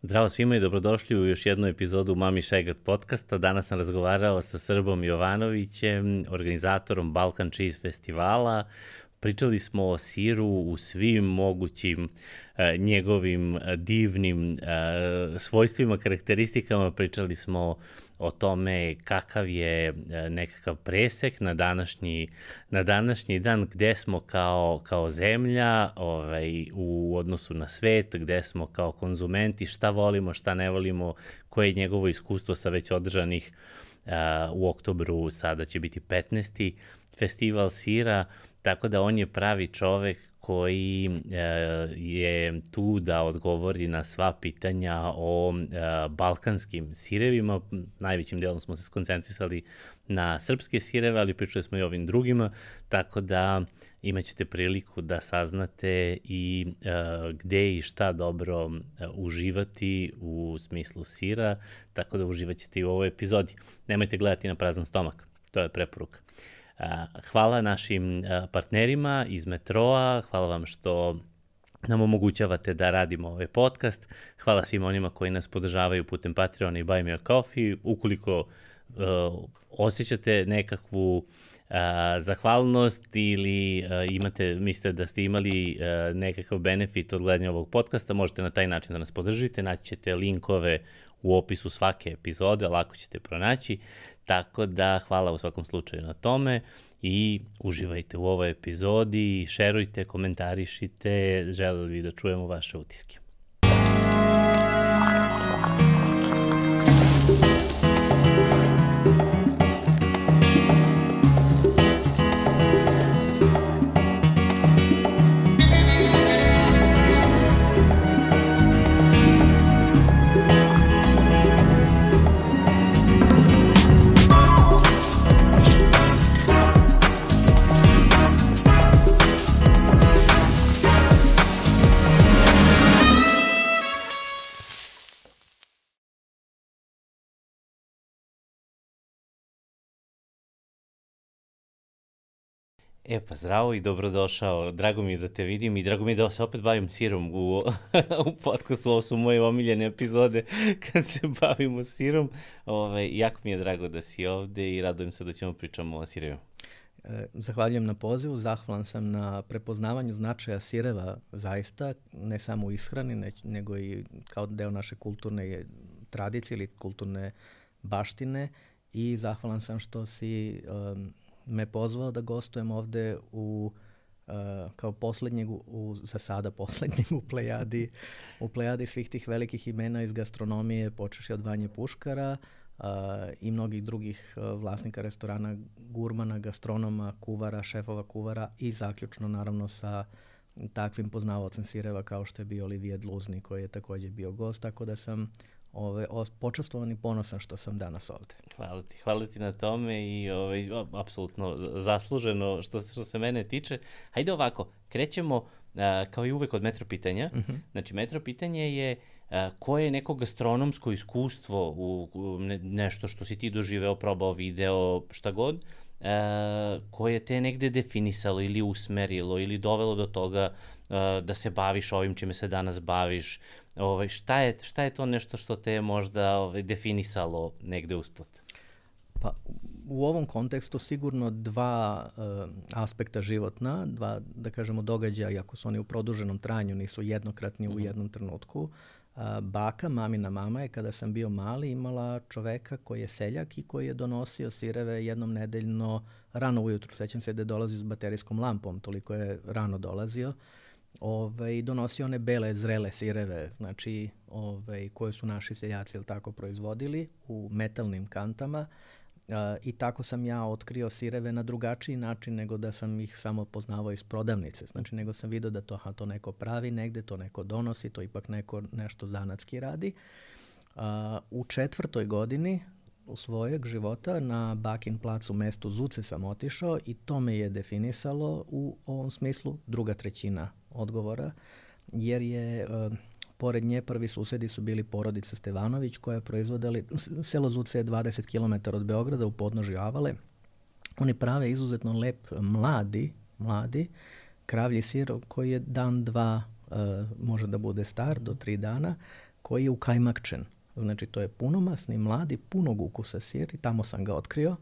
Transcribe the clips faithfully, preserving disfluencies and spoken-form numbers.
Zdravo svima i dobrodošli u još jednu epizodu Mami Šegat podcasta. Danas sam razgovarao sa Srbom Jovanovićem, organizatorom Balkan Cheese festivala. Pričali smo o siru u svim mogućim e, njegovim divnim e, svojstvima, karakteristikama. Pričali smo o tome kakav je nekakav presek na današnji, na današnji dan, gde smo kao, kao zemlja ovaj, u odnosu na svet, gde smo kao konzumenti, šta volimo, šta ne volimo, koje je njegovo iskustvo sa već održanih uh, u oktobru, sada će biti petnaesti festival sira, tako da on je pravi čovek koji e, je tu da odgovori na sva pitanja o e, balkanskim sirevima. Najvećim delom smo se skoncentrisali na srpske sireve, ali pričali smo i o ovim drugima, tako da imaćete priliku da saznate i e, gde i šta dobro e, uživati u smislu sira, tako da uživaćete i u ovoj epizodi. Nemojte gledati na prazan stomak, to je preporuka. Hvala našim partnerima iz Metroa, hvala vam što nam omogućavate da radimo ovaj podcast, hvala svim onima koji nas podržavaju putem Patreona i Buy Me a Coffee. Ukoliko uh, osjećate nekakvu uh, zahvalnost ili uh, imate, mislite da ste imali uh, nekakav benefit od gledanja ovog podcasta, možete na taj način da nas podržite, naći ćete linkove u opisu svake epizode, lako ćete pronaći. Tako da hvala u svakom slučaju na tome i uživajte u ovoj epizodi, šerujte, komentarišite, želeli bi da čujemo vaše utiske. E pa zdravo i dobrodošao, drago mi je da te vidim i drago mi je da se opet bavim sirom u, u podcastu, ovo su moje omiljene epizode kad se bavimo sirom. Ove, jako mi je drago da si ovde i radujem se da ćemo pričamo o sirevima. Zahvaljujem na pozivu, zahvalan sam na prepoznavanju značaja sireva zaista, ne samo u ishrani, ne, nego i kao deo naše kulturne tradicije ili kulturne baštine i zahvalan sam što si um, me pozvao da gostujem ovde u, uh, kao poslednjeg, u, za sada poslednjeg u plejadi, u plejadi svih tih velikih imena iz gastronomije, počeši od Vanje Puškara uh, i mnogih drugih uh, vlasnika restorana, gurmana, gastronoma, kuvara, šefova kuvara i zaključno naravno sa takvim poznavaocem sireva kao što je bio Olivier Dluzni koji je takođe bio gost, tako da sam Ove, počastvovan i ponosan što sam danas ovde. Hvala ti, hvala ti na tome i ovaj, apsolutno zasluženo što, što se mene tiče. Hajde ovako, krećemo a, kao i uvek od metro pitanja. Uh-huh. Znači, metro pitanje je a, koje je neko gastronomsko iskustvo u, u ne, nešto što si ti doživeo, probao, video, šta god, a, koje te negde definisalo ili usmerilo ili dovelo do toga a, da se baviš ovim čime se danas baviš. Ovaj, šta, je, šta je to nešto što te je možda ovaj, definisalo negde usput? Pa u ovom kontekstu sigurno dva uh, aspekta životna, dva, da kažemo, događaja, iako su oni u produženom trajanju, nisu jednokratni mm-hmm. u jednom trenutku. Uh, baka, mamina mama je kada sam bio mali imala čoveka koji je seljak i koji je donosio sireve jednom nedeljno rano ujutru. Sećam se da je dolazio s baterijskom lampom, toliko je rano dolazio. Ove, i donosio one bele, zrele sireve, znači ove, koje su naši seljaci ili tako proizvodili u metalnim kantama e, i tako sam ja otkrio sireve na drugačiji način nego da sam ih samo poznavao iz prodavnice, znači nego sam vidio da to, aha, to neko pravi negde, to neko donosi, to ipak neko nešto zanatski radi. E, u četvrtoj godini u svojeg života na Bakin placu u mestu Zuce sam otišao i to me je definisalo u ovom smislu druga trećina odgovora, jer je uh, pored nje prvi susedi su bili porodica Stevanović koja je proizvodili, selo Zuce je dvadeset kilometara od Beograda u podnožju Avale. Oni prave izuzetno lep mladi, mladi kravlji sir koji je dan, dva, uh, može da bude star do tri dana, koji je ukajmakčen. Znači, to je punomasni, mladi, punog ukusa sir i tamo sam ga otkrio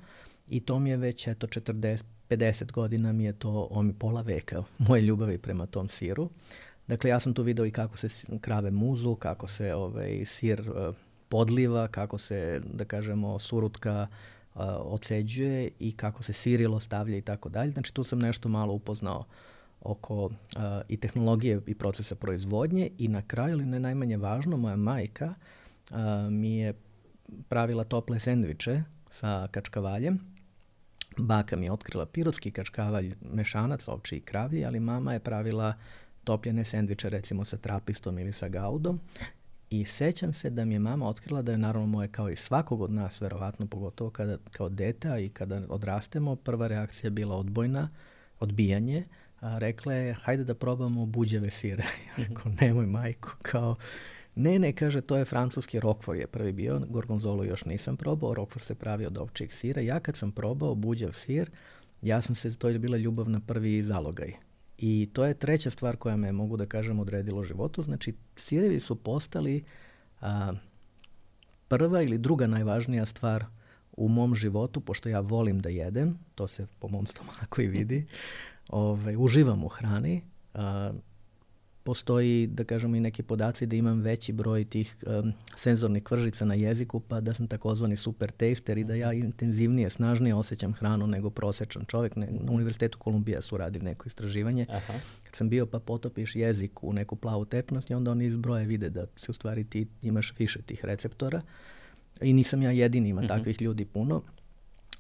i to mi je već, eto, četrdeset, pedeset godina mi je to, on mi pola veka moje ljubavi prema tom siru. Dakle, ja sam tu video i kako se krave muzu, kako se ovaj, sir uh, podliva, kako se, da kažemo, surutka uh, oceđuje i kako se sirilo stavlja i tako dalje. Znači, tu sam nešto malo upoznao oko uh, i tehnologije i procesa proizvodnje i na kraju, ali ne najmanje važno, moja majka uh, mi je pravila tople sendviče sa kačkavaljem. Baka mi je otkrila pirotski kačkavalj, mešanac, ovči i kravlji, ali mama je pravila topljene sendviče recimo sa trapistom ili sa gaudom. I sećam se da mi je mama otkrila da je naravno moje kao i svakog od nas, verovatno pogotovo kada, kao dete i kada odrastemo, prva reakcija bila odbojna, odbijanje. A rekla je, hajde da probamo buđeve sire. Ja rekao, nemoj majko, kao, ne, ne, kaže, to je francuski Roquefort je prvi bio, gorgonzolu još nisam probao, Roquefort se pravi od ovčijeg sira. Ja kad sam probao buđev sir, ja sam se, to je bila ljubav na prvi zalogaj. I to je treća stvar koja me, mogu da kažem, odredila u životu. Znači, sirevi su postali a, prva ili druga najvažnija stvar u mom životu, pošto ja volim da jedem, to se po mom stomaku i vidi, Ove, uživam u hrani. A, postoji, da kažemo, i neki podaci da imam veći broj tih um, senzornih kvržica na jeziku, pa da sam takozvani super taster i da ja intenzivnije, snažnije osjećam hranu nego prosječan čovjek. Ne, na Univerzitetu Kolumbija su radili neko istraživanje. Aha. Kad sam bio, pa potopiš jezik u neku plavu tečnost i onda oni iz broja vide da se u stvari ti imaš više tih receptora. I nisam ja jedini, ima uh-huh. takvih ljudi puno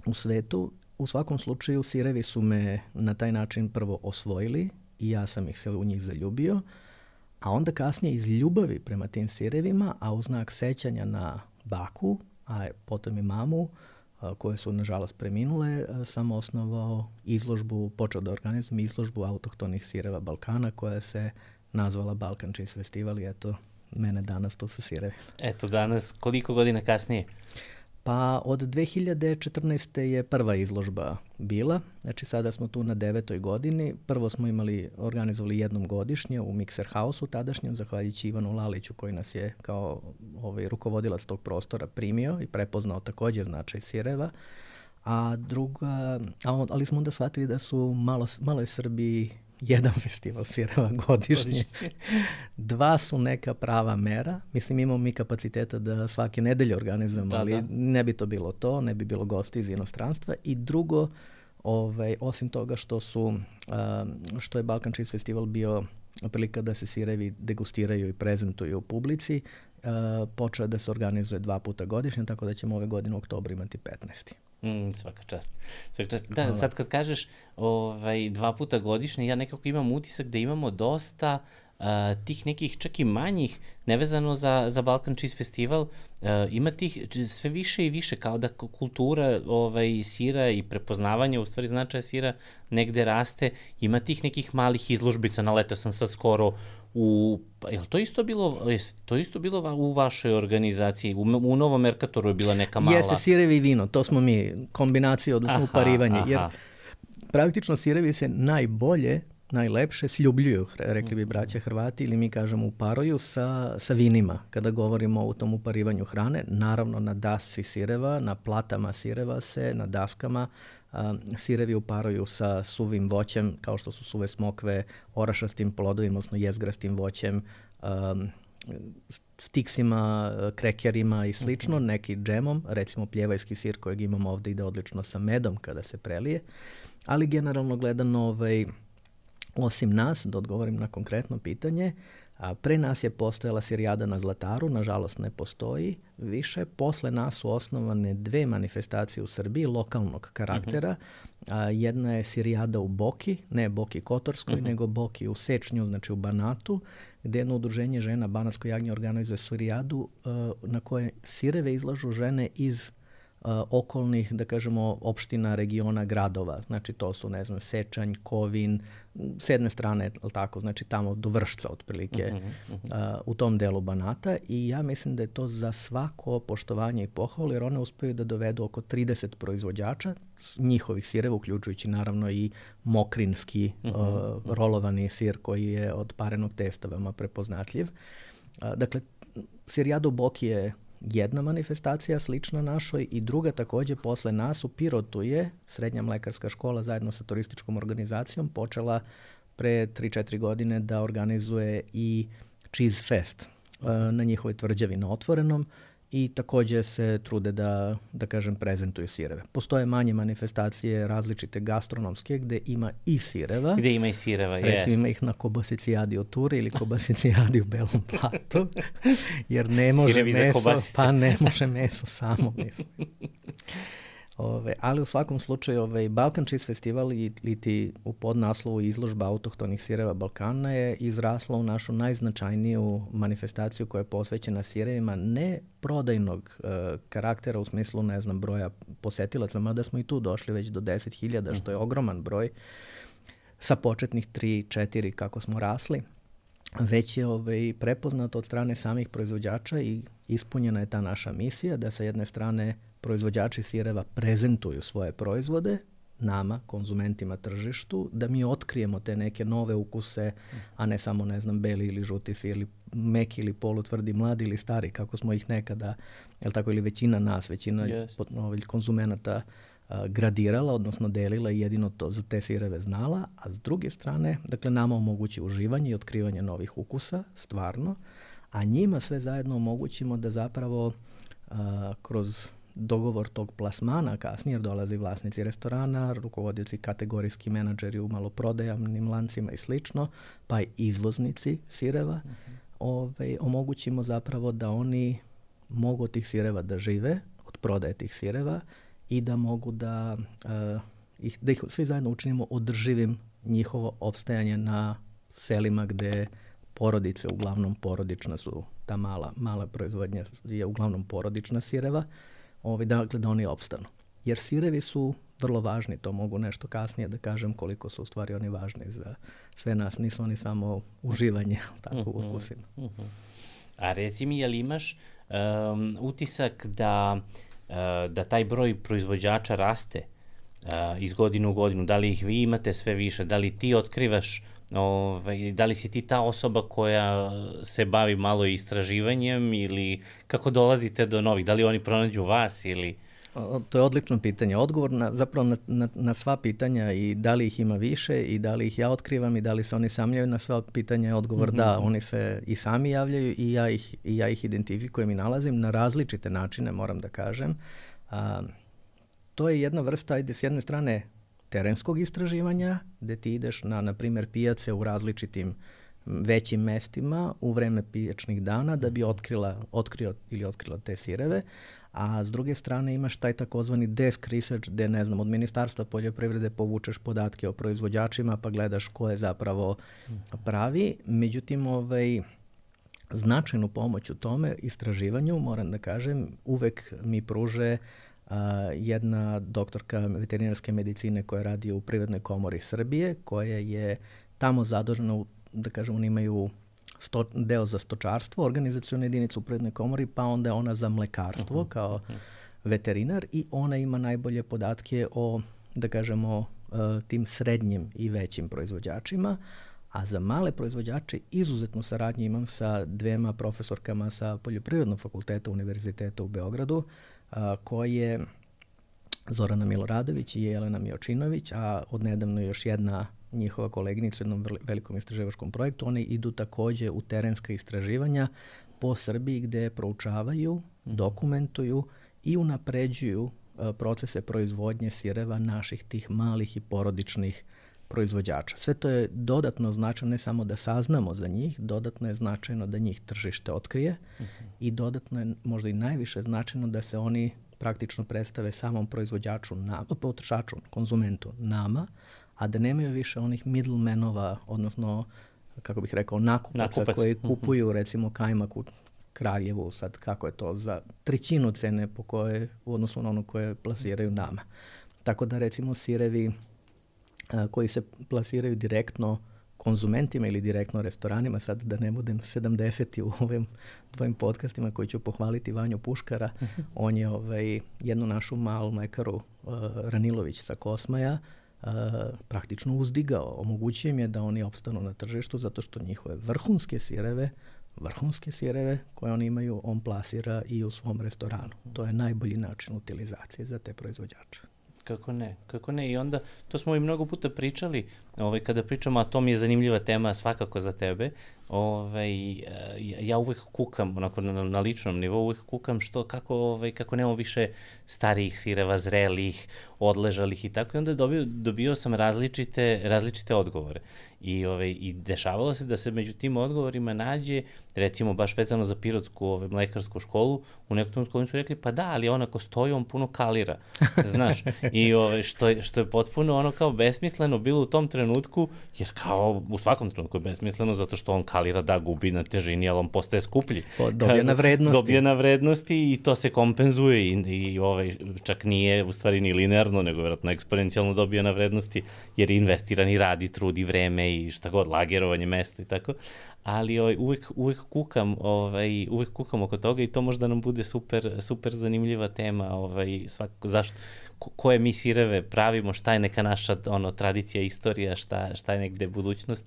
u svetu. U svakom slučaju sirevi su me na taj način prvo osvojili i ja sam ih se u njih zaljubio, a onda kasnije iz ljubavi prema tim sirevima, a u znak sećanja na baku, a potom i mamu, a, koje su nažalost preminule, a, sam osnovao izložbu, počeo da organizujem izložbu autohtonih sireva Balkana koja se nazvala Balkan Cheese Festival i eto, mene danas tu sa sirevi. Eto danas, koliko godina kasnije? Pa od dve hiljade četrnaeste. je prva izložba bila, znači sada smo tu na devetoj godini. Prvo smo imali, organizovali jednom godišnje u Mixer House-u tadašnjem, zahvaljujući Ivanu Laliću koji nas je kao ovaj, rukovodilac tog prostora primio i prepoznao također značaj sireva. A druga, ali smo onda shvatili da su malo, malo je Srbiji jedan festival sireva godišnje. Dva su neka prava mera. Mislim, imamo mi kapaciteta da svake nedelje organizujemo, da, ali da. ne bi to bilo to, ne bi bilo gosti iz inostranstva. I drugo, ovaj, osim toga što su, uh, što je Balkan Cheese Festival bio prilika da se sirevi degustiraju i prezentuju u publici, uh, počeo da se organizuje dva puta godišnje, tako da ćemo ove godine u oktobru imati petnaesti. Mm, svaka čast. Svaka čast. Da, sad kad kažeš ovaj, dva puta godišnje, ja nekako imam utisak da imamo dosta uh, tih nekih čak i manjih, nevezano za, za Balkan Cheese Festival, uh, ima tih sve više i više, kao da kultura ovaj, sira i prepoznavanje, u stvari značaja sira, negde raste, ima tih nekih malih izložbica, naletao sam sad skoro u, je li to isto bilo, je to isto bilo u vašoj organizaciji? U, u Novom Merkatoru je bila neka mala... Jeste, sirevi i vino, to smo mi, kombinacija, odnosno uparivanje, jer praktično sirevi se najbolje, najlepše sljubljuju, rekli bi braća Hrvati, ili mi kažemo uparuju sa, sa vinima, kada govorimo o tom uparivanju hrane, naravno na dasci sireva, na platama sireva se, na daskama, a, sirevi uparuju sa suvim voćem, kao što su suve smokve, orašastim plodovima, odnosno jezgrastim voćem, a, stiksima, krekerima i slično, uh-huh. neki džemom, recimo pljevajski sir kojeg imamo ovdje ide odlično sa medom kada se prelije, ali generalno gledano ovaj, osim nas, da odgovorim na konkretno pitanje, a pre nas je postojala sirijada na Zlataru, nažalost ne postoji više. Posle nas su osnovane dve manifestacije u Srbiji lokalnog karaktera. Uh-huh. A, jedna je sirijada u Boki, ne Boki Kotorskoj, uh-huh. nego Boki u Sečnju, znači u Banatu, gde jedno udruženje žena Banatsko jagnje organizuje sirijadu uh, na koje sireve izlažu žene iz Uh, okolnih, da kažemo, opština, regiona, gradova. Znači to su, ne znam, Sečanj, Kovin, s jedne strane, ali tako, znači tamo do Vršca otprilike uh-huh, uh-huh. Uh, u tom delu Banata i ja mislim da je to za svako poštovanje i pohvalu, jer one uspeju da dovedu oko trideset proizvođača njihovih sireva, uključujući naravno i mokrinski uh-huh, uh, rolovani sir koji je od parenog testa veoma prepoznatljiv. Uh, dakle, Sirija Duboki je jedna manifestacija slična našoj i druga takođe posle nas u Pirotu je Srednja mlekarska škola zajedno sa turističkom organizacijom počela pre tri četiri godine da organizuje i Cheese Fest na njihovoj tvrđavi na otvorenom i takođe se trude da, da kažem, prezentuju sireve. Postoje manje manifestacije različite gastronomske gde ima i sireva. Gde ima i sireva, jest. Recimo ima ih na Kobasicijadi u Turi ili Kobasicijadi u Belom Platu, jer ne može meso, pa ne može meso samo, mislim. Ove, ali u svakom slučaju ovaj, Balkan Cheese Festival ili ti u podnaslovu izložba autohtonih sireva Balkana je izrasla u našu najznačajniju manifestaciju koja je posvećena sirevima ne prodajnog uh, karaktera u smislu, ne znam, broja posetilaca, mada smo i tu došli već do deset hiljada, što je ogroman broj sa početnih tri četiri kako smo rasli, već je ovaj, prepoznato od strane samih proizvođača i ispunjena je ta naša misija da sa jedne strane proizvođači sireva prezentuju svoje proizvode nama, konzumentima, tržištu, da mi otkrijemo te neke nove ukuse, a ne samo, ne znam, beli ili žuti sir ili meki ili polutvrdi, mladi ili stari, kako smo ih nekada, jel tako, ili većina nas, većina yes. konzumenata a, gradirala, odnosno delila i jedino to za te sireve znala, a s druge strane, dakle, nama omogući uživanje i otkrivanje novih ukusa, stvarno, a njima sve zajedno omogućimo da zapravo a, kroz dogovor tog plasmana kasnije, jer dolazi vlasnici restorana, rukovodioci, kategorijski menadžeri u maloprodajnim lancima i slično, pa i izvoznici sireva, uh-huh. ovaj, omogućimo zapravo da oni mogu od tih sireva da žive, od prodaje tih sireva i da mogu da, uh, ih, da ih svi zajedno učinimo održivim njihovo opstajanje na selima gde porodice, uglavnom porodična su, ta mala, mala proizvodnja je uglavnom porodična sireva, Ovi, dakle, da oni opstanu. Jer sirevi su vrlo važni, to mogu nešto kasnije da kažem koliko su u stvari oni važni za sve nas, nisu oni samo uživanje tako u ukusima. Uh-huh. A reci mi, je li imaš um, utisak da, uh, da taj broj proizvođača raste uh, iz godine u godinu? Da li ih vi imate sve više? Da li ti otkrivaš, ovaj, da li si ti ta osoba koja se bavi malo istraživanjem ili kako dolazite do novih? Da li oni pronađu vas ili... To je odlično pitanje. Odgovor na, zapravo na, na, na sva pitanja i da li ih ima više i da li ih ja otkrivam i da li se oni sami javljaju na sva pitanja je odgovor mm-hmm. da, oni se i sami javljaju i ja ih, i ja ih identifikujem i nalazim na različite načine, moram da kažem. A, to je jedna vrsta, ajde, s jedne strane terenskog istraživanja, gde ti ideš na, na primjer, pijace u različitim većim mestima u vreme pijačnih dana da bi otkrila, otkrio ili otkrila te sireve, a s druge strane imaš taj takozvani desk research gde, ne znam, od Ministarstva poljoprivrede povučeš podatke o proizvođačima pa gledaš ko je zapravo pravi. Međutim, ovaj, značajnu pomoć u tome istraživanju, moram da kažem, uvek mi pruže Uh, jedna doktorka veterinarske medicine koja radi u Privrednoj komori Srbije, koja je tamo zadužena, u, da kažem, oni imaju sto, deo za stočarstvo, organizacionu jedinicu u Privrednoj komori, pa onda je ona za mlekarstvo uh-huh. kao uh-huh. veterinar i ona ima najbolje podatke o, da kažemo, uh, tim srednjim i većim proizvođačima, a za male proizvođače izuzetnu saradnju imam sa dvema profesorkama sa Poljoprivrednog fakulteta Univerziteta u Beogradu, a, koje Zorana Miloradović i Jelena Miočinović, a odnedavno još jedna njihova koleginica u jednom velikom istraživačkom projektu. One idu takođe u terenska istraživanja po Srbiji gde proučavaju, dokumentuju i unapređuju a, procese proizvodnje sireva naših tih malih i porodičnih proizvođača. Sve to je dodatno značajno ne samo da saznamo za njih, dodatno je značajno da njih tržište otkrije uh-huh. i dodatno je možda i najviše značajno da se oni praktično predstave samom proizvođaču, na, potrošaču, konzumentu, nama, a da nemaju više onih middlemenova, odnosno, kako bih rekao, nakupaca Nakupac. koji kupuju uh-huh. recimo kajmak u Kraljevu, sad kako je to, za trećinu cene po koje, u odnosu na ono koje plasiraju nama. Tako da recimo sirevi koji se plasiraju direktno konzumentima ili direktno restoranima, sad da ne budem sedamdeseti u ovim tvojim podcastima koji ću pohvaliti Vanju Puškara, on je ovaj, jednu našu malu mlekaru uh, Ranilović sa Kosmaja uh, praktično uzdigao. Omogućio im je da oni opstanu na tržištu zato što njihove vrhunske sireve vrhunske sireve koje oni imaju, on plasira i u svom restoranu. To je najbolji način utilizacije za te proizvođače. Kako ne, kako ne. I onda, to smo i mnogo puta pričali, ovaj, kada pričamo, a to mi je zanimljiva tema svakako za tebe, ovaj, ja uvek kukam, onako na, na ličnom nivou, uvek kukam što, kako, ovaj, kako nemamo više starijih sireva, zrelih, odležalih i tako, i onda dobio, dobio sam različite, različite odgovore. I, ovaj, I dešavalo se da se među tim odgovorima nađe, recimo baš vezano za Pirotsku ovaj, mlekarsku školu, u nekom trenutku oni su rekli, pa da, ali on ako stoji, on puno kalira, znaš. I ovaj, što, je, što je potpuno ono kao besmisleno bilo u tom trenutku, jer kao u svakom trenutku je besmisleno, zato što on kalira, da, gubi na težini, ali on postaje skuplji. Dobije na vrednosti. Dobije na vrednosti i to se kompenzuje i, i ovaj, čak nije u stvari ni linearno, nego vjerojatno eksponencijalno dobije na vrednosti, jer investiran i radi, trudi vreme i šta god, lagerovanje, mesto i tako. Ali ovaj, uvek, uvek, kukam, ovaj, uvek kukam oko toga i to možda nam bude super, super zanimljiva tema. Ovaj, svako, zašto, ko, koje mi sireve pravimo, šta je neka naša ono, tradicija, istorija, šta, šta je negde budućnost.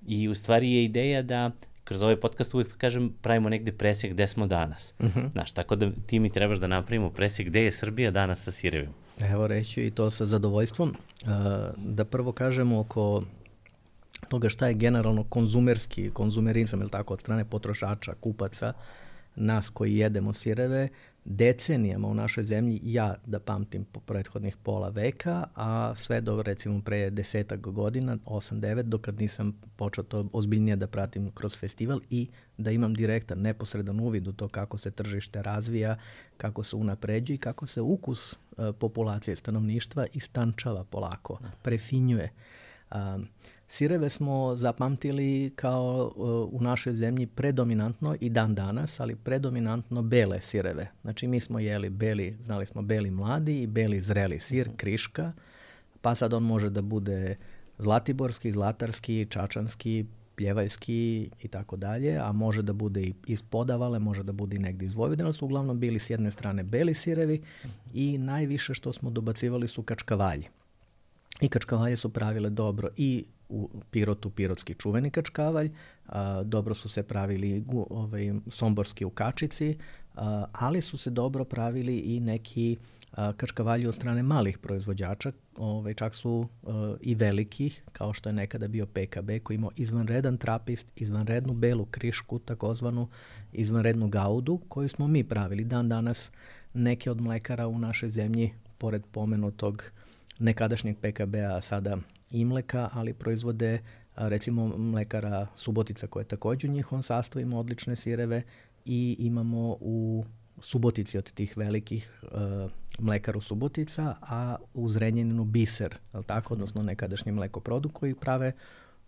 I u stvari je ideja da kroz ovaj podcast uvek, kažem, pravimo negde presjek gde smo danas. Uh-huh. Znaš, tako da ti mi trebaš da napravimo presjek gde je Srbija danas sa sirevima. Evo reću i to sa zadovoljstvom. Uh, da prvo kažemo oko toga šta je generalno konzumerski, konzumerizam, ili tako, od strane potrošača, kupaca, nas koji jedemo sireve, decenijama u našoj zemlji, ja da pamtim po prethodnih pola veka, a sve do recimo pre desetak godina, osam devet, dokad nisam počeo to ozbiljnije da pratim kroz festival i da imam direktan, neposredan uvid u to kako se tržište razvija, kako se unapređuje i kako se ukus uh, populacije stanovništva istančava polako, prefinjuje. Um, Sireve smo zapamtili kao uh, u našoj zemlji predominantno i dan danas, ali predominantno bele sireve. Znači mi smo jeli beli, znali smo beli mladi i beli zreli sir, kriška, pa sad on može da bude zlatiborski, zlatarski, čačanski, pljevajski i tako dalje, a može da bude i iz Podavale, može da bude i negdje iz Vojvodine, su uglavnom bili s jedne strane beli sirevi i najviše što smo dobacivali su kačkavalji. I kačkavalje su pravile dobro i u Pirotu, pirotski čuveni kačkavalj, a, dobro su se pravili ovaj, somborski u Kačici, a, ali su se dobro pravili i neki a, kačkavalji od strane malih proizvođača, ovaj, čak su a, i velikih, kao što je nekada bio P K B, koji imao izvanredan trapist, izvanrednu belu krišku, takozvanu izvanrednu gaudu, koju smo mi pravili. Dan danas neke od mlekara u našoj zemlji, pored pomenutog nekadašnjeg P K B-a, sada Imleka, ali proizvode recimo mlekara Subotica koja je također u njihovom sastavu, ima odlične sireve i imamo u Subotici od tih velikih uh, mlekaru Subotica, a u Zrenjaninu Biser, je li tako, odnosno nekadašnji mlekoprodukt koji prave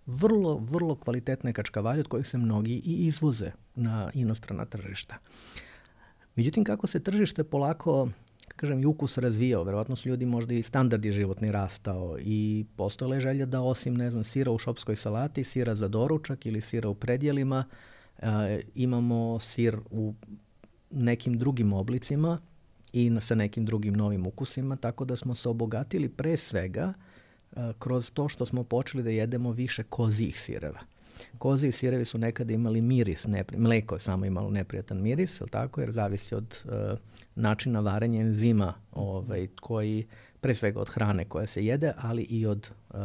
vrlo, vrlo kvalitetne kačkavalje od kojih se mnogi i izvoze na inostrana tržišta. Međutim, kako se tržište polako, kažem, i ukus razvijao, verovatno su ljudi možda i standardi životni rastao i postojala je želja da osim, ne znam, sira u šopskoj salati, sira za doručak ili sira u predjelima, e, imamo sir u nekim drugim oblicima i sa nekim drugim novim ukusima, tako da smo se obogatili pre svega e, kroz to što smo počeli da jedemo više kozijih sireva. Koziji sirevi su nekada imali miris, nepri, mleko je samo imalo neprijatan miris, jel tako, jer zavisi od uh, načina varenja enzima, ovaj, koji, pre svega od hrane koja se jede, ali i od uh,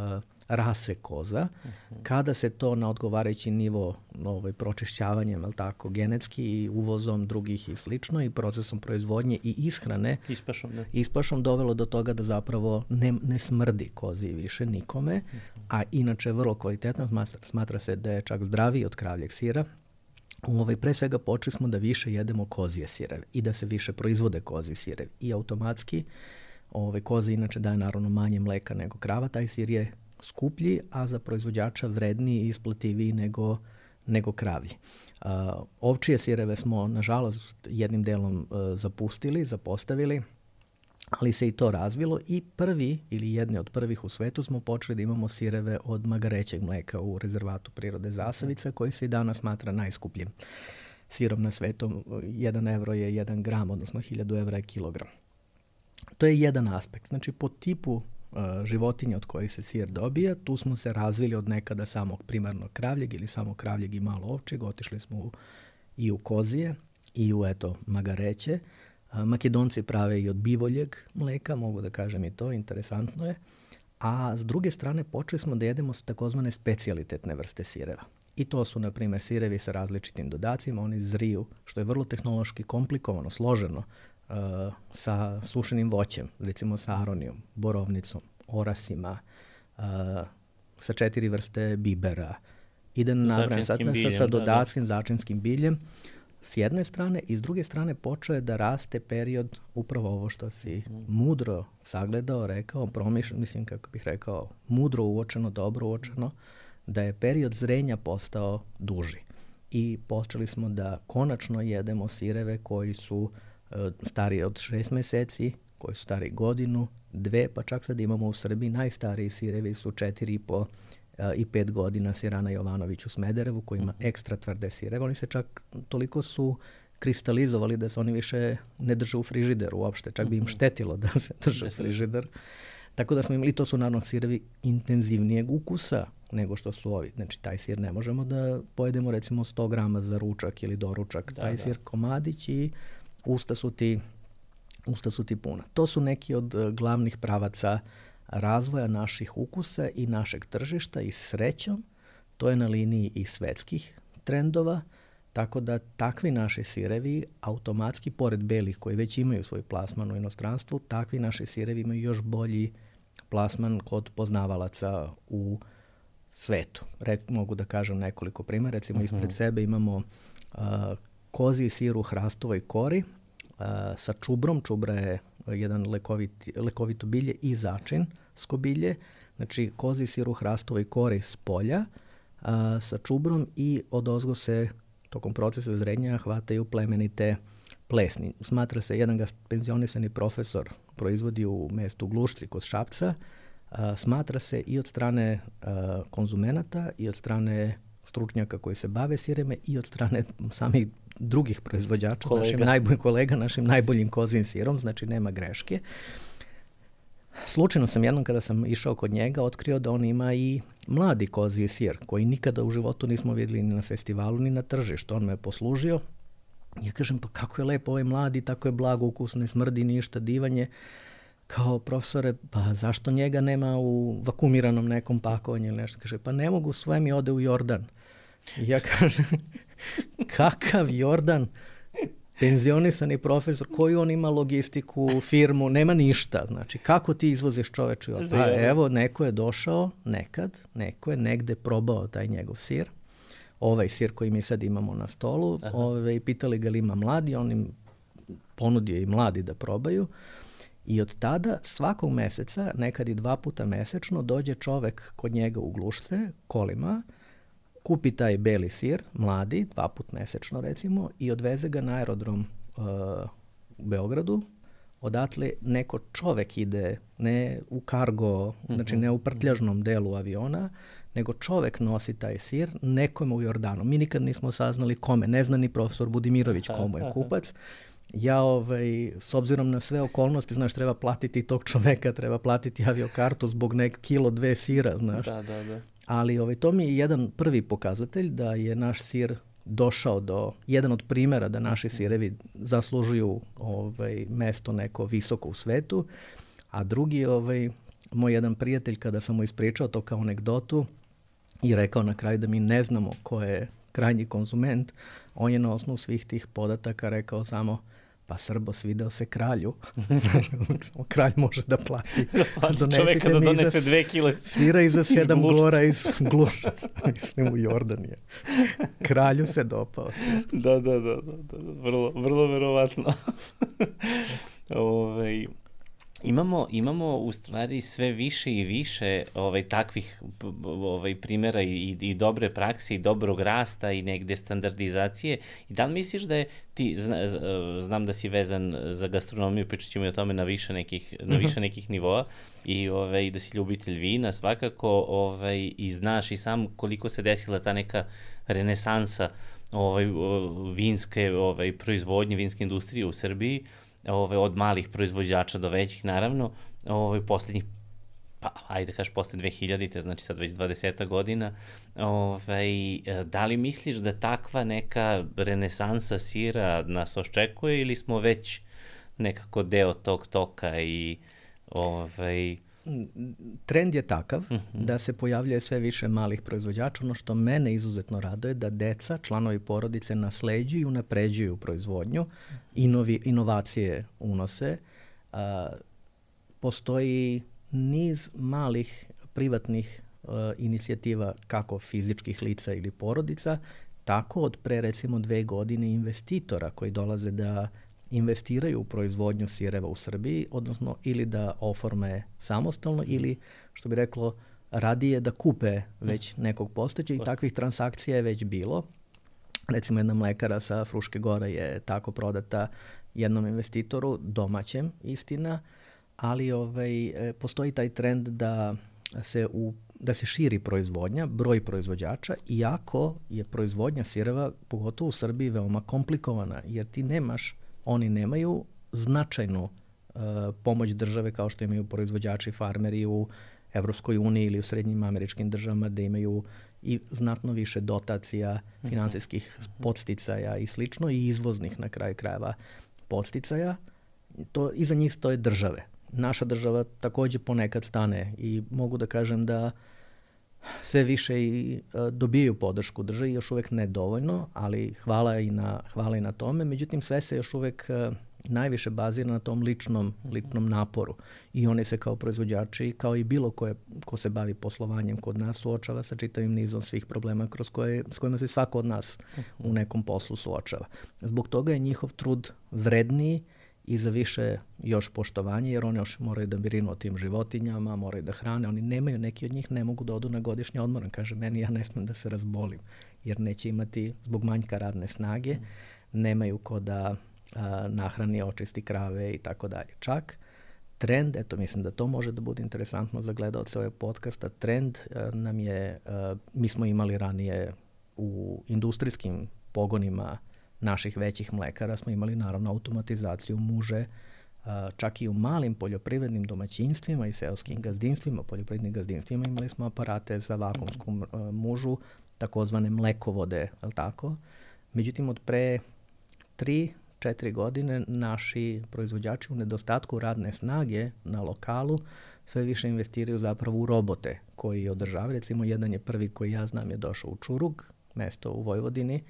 rase koza. Uh-huh. Kada se to na odgovarajući nivo ovaj, pročišćavanjem, jel tako, genetski i uvozom drugih i slično i procesom proizvodnje i ishrane, ispašom, ne. ispašom dovelo do toga da zapravo ne, ne smrdi kozi više nikome, uh-huh. a inače vrlo kvalitetno, smatra, smatra se da je čak zdraviji od kravljeg sira. Ovaj, pre svega počeli smo da više jedemo kozije sireve i da se više proizvode kozije sirevi. I automatski ovaj, koza inače daje naravno manje mleka nego krava, taj sir je skuplji, a za proizvođača vredniji i isplativiji nego, nego kravlji. Uh, ovčije sireve smo, nažalost, jednim delom uh, zapustili, zapostavili, ali se i to razvilo i prvi ili jedni od prvih u svetu smo počeli da imamo sireve od magarećeg mleka u rezervatu prirode Zasavica, koji se i danas smatra najskupljim sirom na svetu. Jedan evro je jedan gram, odnosno hiljadu evra je kilogram. To je jedan aspekt. Znači, po tipu uh, životinja od kojih se sir dobija. Tu smo se razvili od nekada samog primarnog kravljeg ili samog kravljeg i malo ovčeg. Otišli smo u, i u kozije i u eto magareće. Uh, Makedonci prave i od bivoljeg mleka, mogu da kažem i to, interesantno je. A s druge strane počeli smo da jedemo takozvane specijalitetne vrste sireva. I to su, na primjer, sirevi sa različitim dodacima, oni zriju, što je vrlo tehnološki komplikovano, složeno, uh, sa sušenim voćem, recimo sa aronijom, borovnicom, orasima, uh, sa četiri vrste bibera. I da nabrajam sad sa, sa dodatskim da, da. začinskim biljem. S jedne strane i s druge strane počeo je da raste period, upravo ovo što si mm. mudro sagledao, rekao, promišljeno, mislim kako bih rekao, mudro uočeno, dobro uočeno, da je period zrenja postao duži. I počeli smo da konačno jedemo sireve koji su e, stariji od šest meseci, koji su stari godinu, dve, pa čak sad imamo u Srbiji najstariji sirevi su četiri i po e, i pet godina Sirana Jovanović u Smederevu, koji ima ekstra tvrde sireve. Oni se čak toliko su kristalizovali da se oni više ne drže u frižideru uopšte, čak bi im štetilo da se drže u frižider. Tako da smo imali, to su naravno sirevi intenzivnijeg ukusa nego što su ovi. Znači, taj sir ne možemo da pojedemo recimo sto grama za ručak ili doručak. Da, taj da. sir komadić i usta su ti, usta su ti puna. To su neki od uh, glavnih pravaca razvoja naših ukusa i našeg tržišta i srećom. To je na liniji i svetskih trendova. Tako da takvi naši sirevi automatski, pored belih koji već imaju svoj plasman u inostranstvu, takvi naši sirevi imaju još bolji plasman kod poznavalaca u svetu. Re, mogu da kažem nekoliko primjera. Recimo uh-huh. ispred sebe imamo uh, kozji sir u hrastovoj kori uh, sa čubrom. Čubra je jedan lekovit, lekovito bilje i začinsko bilje. Znači kozji sir u hrastovoj kori s polja uh, sa čubrom i odozgo se tokom procesa zrenja hvataju plemenite plesni. Smatra se, jedan ga penzionisani profesor proizvodi u mestu Glušci kod Šapca, a, smatra se i od strane a, konzumenata i od strane stručnjaka koji se bave sireme i od strane samih drugih proizvođača, kolega. našim najboljim kolega, našim najboljim kozijim sirom, znači nema greške. Slučajno sam jednom kada sam išao kod njega otkrio da on ima i mladi koziji sir koji nikada u životu nismo vidjeli ni na festivalu ni na tržištu. On me je poslužio. Ja kažem, pa kako je lepo ovaj mladi, tako je blago ukus, ne smrdi ništa, divanje. Kao profesore, pa zašto njega nema u vakumiranom nekom pakovanju ili nešto? Kaže, pa ne mogu, sve mi ode u Jordan. I ja kažem, kakav Jordan? Penzionisani profesor, koju on ima logistiku, firmu, nema ništa. Znači, kako ti izvoziš čoveče? Pa evo, neko je došao nekad, neko je negde probao taj njegov sir, ovaj sir koji mi sad imamo na stolu, ove, pitali ga li ima mladi, on im ponudio i mladi da probaju. I od tada svakog meseca, nekad i dva puta mesečno, dođe čovek kod njega u Glušce, kolima, kupi taj beli sir, mladi, dva put mesečno recimo, i odveze ga na aerodrom uh, u Beogradu. Odatle neko čovek ide, ne u kargo, mm-hmm. znači ne u prtljažnom delu aviona, nego čovek nosi taj sir nekome u Jordanu. Mi nikad nismo saznali kome, ne zna ni profesor Budimirović komu je kupac. Ja, ovaj, s obzirom na sve okolnosti, znaš, treba platiti tog čoveka, treba platiti aviokartu zbog nek kilo, dve sira, znaš. Da, da, da. Ali ovaj, to mi je jedan prvi pokazatelj da je naš sir došao do, jedan od primjera da naši sirevi zaslužuju ovaj, mesto neko visoko u svetu, a drugi, ovaj, moj jedan prijatelj, kada sam mu ispričao to kao anegdotu i rekao na kraju da mi ne znamo ko je krajnji konzument, on je na osnovu svih tih podataka rekao samo, pa Srbo, svideo se kralju. Kralj može da plati. Čoveka da donese dve kile svira i za sedam glora iz Glušaca. Mislim, u Jordanije. Kralju se dopao. Da, da, da, da, da. Vrlo, vrlo verovatno. Ove, imamo, imamo u stvari sve više i više ovaj, takvih ovaj, primjera i, i dobre prakse i dobrog rasta i negde standardizacije. I da li misliš da je ti, zna, znam da si vezan za gastronomiju, pričat ćemo i o tome na više nekih, na više nekih nivoa i ovaj, da si ljubitelj vina svakako ovaj, i znaš i sam koliko se desila ta neka renesansa ovaj, vinske ovaj, proizvodnje, vinske industrije u Srbiji, Ove, od malih proizvođača do većih, naravno, ove, poslednjih pa ajde kaš posle dve hiljadite, znači sad već dvadeseta godina, ovaj, da li misliš da takva neka renesansa sira nas očekuje ili smo već nekako deo tog toka i ovaj... Trend je takav uh-huh. da se pojavljuje sve više malih proizvođača. Ono što mene izuzetno raduje da deca, članovi porodice nasleđuju i unapređuju proizvodnju, inovi, inovacije unose. A, postoji niz malih privatnih a, inicijativa kako fizičkih lica ili porodica, tako od pre recimo dve godine investitora koji dolaze da investiraju u proizvodnju sireva u Srbiji, odnosno ili da oforme samostalno ili, što bi reklo, radije da kupe već nekog postojećeg i takvih transakcija je već bilo. Recimo jedna mlekara sa Fruške Gore je tako prodata jednom investitoru, domaćem, istina, ali ovaj, postoji taj trend da se, u, da se širi proizvodnja, broj proizvođača, iako je proizvodnja sireva, pogotovo u Srbiji, veoma komplikovana, jer ti nemaš oni nemaju značajnu uh, pomoć države kao što imaju proizvođači, farmeri u Evropskoj uniji ili u srednjim američkim državama, da imaju i znatno više dotacija, uh-huh. finansijskih podsticaja i slično, i izvoznih na kraju krajeva podsticaja. To, iza njih stoje države. Naša država takođe ponekad stane i mogu da kažem da sve više i uh, dobijaju podršku državi, još uvek ne dovoljno, ali hvala i na, hvala i na tome. Međutim, sve se još uvek uh, najviše bazira na tom ličnom, ličnom naporu. I oni se kao proizvođači, kao i bilo koje, ko se bavi poslovanjem kod nas, suočava sa čitavim nizom svih problema kroz koje, s kojima se svako od nas u nekom poslu suočava. Zbog toga je njihov trud vredniji i za više još poštovanje, jer oni još moraju da brinu o tim životinjama, moraju da hrane, oni nemaju, neki od njih ne mogu da odu na godišnji odmor. Kaže, meni ja ne smem da se razbolim, jer neće imati, zbog manjka radne snage, nemaju ko da a, nahrani, očisti krave i tako dalje. Čak trend, eto mislim da to može da bude interesantno za gledaoce ovog podcasta, trend a, nam je, a, mi smo imali ranije u industrijskim pogonima naših većih mlekara smo imali naravno automatizaciju muže, čak i u malim poljoprivrednim domaćinstvima i seoskim gazdinstvima, poljoprivrednim gazdinstvima imali smo aparate za vakumsku mužu, takozvane mlekovode, je li tako? Međutim, od pre tri, četiri godine naši proizvođači u nedostatku radne snage na lokalu sve više investiraju zapravo u robote koji održavaju. Recimo, jedan je prvi koji ja znam je došao u Čurug, mesto u Vojvodini,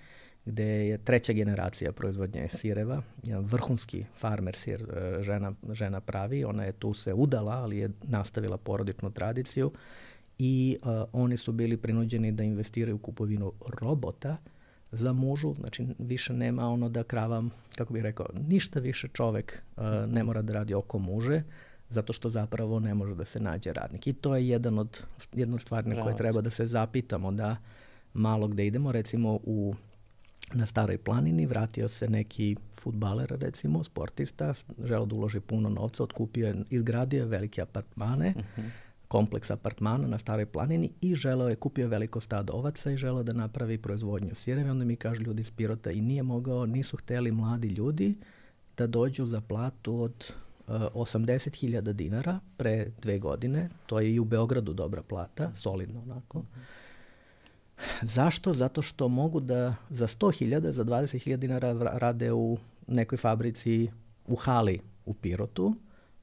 gde je treća generacija proizvodnje sireva, jedan vrhunski farmer sir žena, žena pravi, ona je tu se udala, ali je nastavila porodičnu tradiciju i uh, oni su bili prinuđeni da investiraju u kupovinu robota za mužu, znači više nema ono da krava, kako bih rekao, ništa više čovek uh, ne mora da radi oko muže, zato što zapravo ne može da se nađe radnik. I to je jedan od, jedna od stvari na koje treba da se zapitamo, da malo gde idemo, recimo u na Staroj planini vratio se neki fudbaler, recimo, sportista, želeo da uloži puno novca, otkupio je, izgradio je velike apartmane, uh-huh. kompleks apartmana na Staroj planini i želeo je, kupio veliko stado ovaca i želeo da napravi proizvodnju sireva. Onda mi kažu ljudi iz Pirota i nije mogao, nisu hteli mladi ljudi da dođu za platu od uh, osamdeset hiljada dinara pre dve godine. To je i u Beogradu dobra plata, solidno onako. Uh-huh. Zašto? Zato što mogu da za sto hiljada, za dvadeset hiljada dinara rade u nekoj fabrici u hali u Pirotu,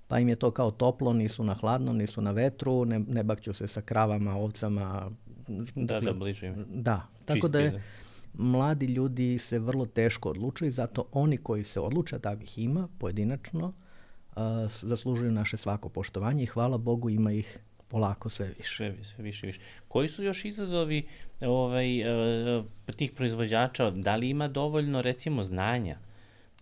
pa im je to kao toplo, nisu na hladnom, nisu na vetru, ne, ne bakću se sa kravama, ovcama. Da, dakle, da, bliže. Da, tako da je, mladi ljudi se vrlo teško odlučuju, zato oni koji se odluče, takvih ima pojedinačno, uh, zaslužuju naše svako poštovanje i hvala Bogu ima ih polako sve više. Sve, sve više više. Koji su još izazovi ovaj, uh, tih proizvođača? Da li ima dovoljno, recimo, znanja?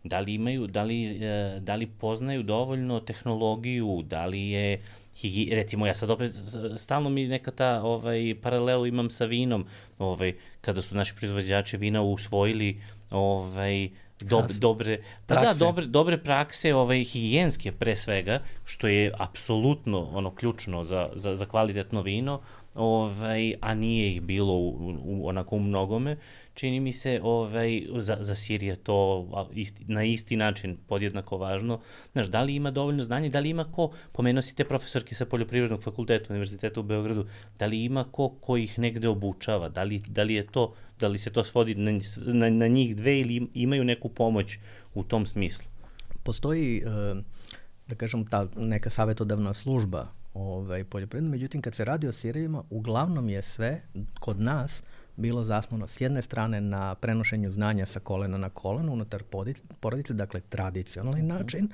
Da li imaju, da li, uh, da li poznaju dovoljno tehnologiju? Da li je, higi, recimo, ja sad opet, stalno mi neka ta ovaj, paralelu imam sa vinom, ovaj, kada su naši proizvođači vina usvojili ovaj, Dob, dobre, pa da, dobre, dobre prakse, ovaj, higijenske pre svega, što je apsolutno ono ključno za, za, za kvalitetno vino, ovaj, a nije ih bilo u, u, onako u mnogome. čini mi se ovaj, za, za sir je to isti, na isti način podjednako važno. Znaš, da li ima dovoljno znanja, da li ima ko, pomenuo si te profesorke sa Poljoprivrednog fakulteta Univerziteta u Beogradu, da li ima ko ko ih negde obučava, da li, da li je to, da li se to svodi na, na, na njih dve ili imaju neku pomoć u tom smislu? Postoji, da kažem, ta neka savjetodavna služba ovaj, poljoprivredna, međutim kad se radi o sirevima, uglavnom je sve kod nas bilo zasnovano s jedne strane na prenošenju znanja sa kolena na koleno unutar porodice, dakle tradicionalni mm-hmm. način,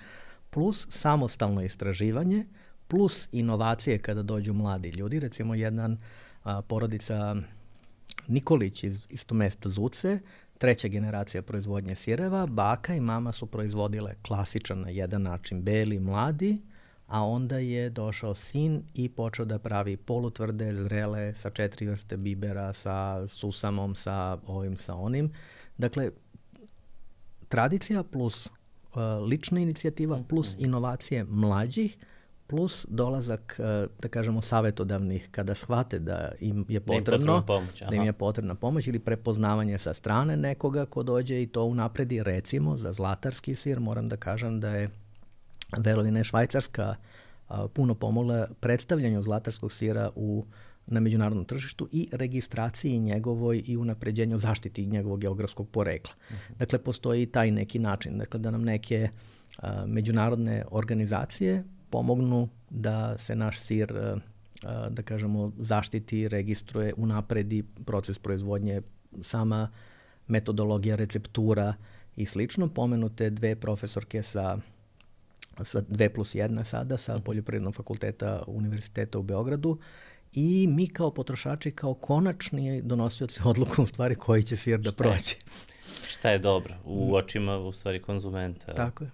plus samostalno istraživanje, plus inovacije kada dođu mladi ljudi. Recimo jedan a, porodica Nikolić iz isto mesta Zuce, treća generacija proizvodnje sireva, baka i mama su proizvodile klasičan na jedan način, beli, mladi, a onda je došao sin i počeo da pravi polutvrde, zrele, sa četiri vrste bibera, sa susamom, sa ovim, sa onim. Dakle, tradicija plus uh, lična inicijativa, plus inovacije mlađih, plus dolazak, uh, da kažemo, savjetodavnih kada shvate da im je potrebno, da im, pomoć, da im je potrebna pomoć ili prepoznavanje sa strane nekoga ko dođe i to unapredi. Recimo, za zlatarski sir moram da kažem da je verovine Švajcarska a, puno pomogla predstavljanju zlatarskog sira u, na međunarodnom tržištu i registraciji njegovoj i unapređenju zaštiti njegovog geografskog porekla. Uh-huh. Dakle, postoji taj neki način. Dakle, da nam neke a, međunarodne organizacije pomognu da se naš sir, a, a, da kažemo, zaštiti, registruje, unapredi proces proizvodnje, sama metodologija, receptura i slično. Pomenute dve profesorke sa sa dve plus jedna sada, sa Poljoprivrednog fakulteta Univerziteta u Beogradu i mi kao potrošači, kao konačni donosioci odluku u stvari koji će sir da šta prođe. Je, šta je dobro u očima u stvari konzumenta. Tako je.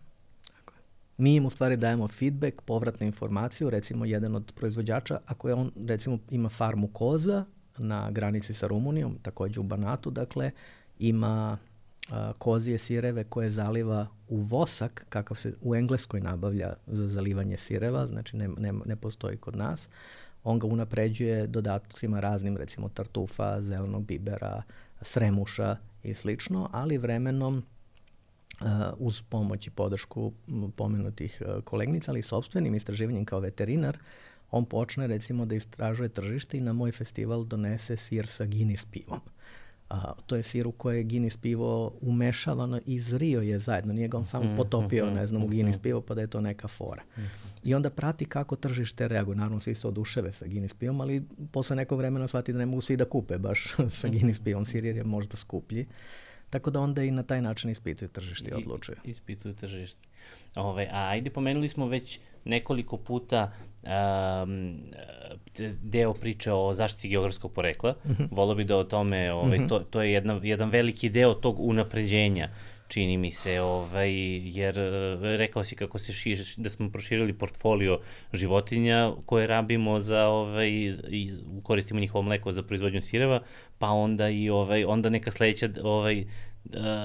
Tako je. Mi im u stvari dajemo feedback, povratnu informaciju, recimo jedan od proizvođača, ako je on recimo ima farmu koza na granici sa Rumunijom, takođe u Banatu, dakle ima a, kozije sireve koje zaliva u vosak, kakav se u Engleskoj nabavlja za zalivanje sireva, znači ne, ne, ne postoji kod nas. On ga unapređuje dodatcima raznim, recimo tartufa, zelenog bibera, sremuša i slično, ali vremenom uh, uz pomoć i podršku pomenutih uh, kolegnica, ali i sopstvenim istraživanjem kao veterinar, on počne recimo da istražuje tržište i na moj festival donese sir sa Guinness pivom. A, to je sir u koje je Guinness pivo umešavano i zrio je zajedno. Nije ga on samo potopio, ne znam, u Guinness pivo pa da je to neka fora. I onda prati kako tržište reaguje. Naravno, svi se oduševe sa Guinness pivom, ali posle nekog vremena shvati da ne mogu svi da kupe baš sa Guinness pivom sir jer je možda skuplji. Tako da onda i na taj način ispituju tržište i odlučuju. I, ispituju tržište. Ove, a ajde, pomenuli smo već nekoliko puta um, deo priče o zaštiti geografskog porekla. Mm-hmm. Volio bi da o tome, ovaj, mm-hmm. to, to je jedna, jedan veliki deo tog unapređenja, čini mi se, ovaj, jer rekao si kako se širi, da smo proširili portfolio životinja koje rabimo za, ovaj, i koristimo njihovo mleko za proizvodnju sireva, pa onda i ovaj, onda neka sledeća, ovaj,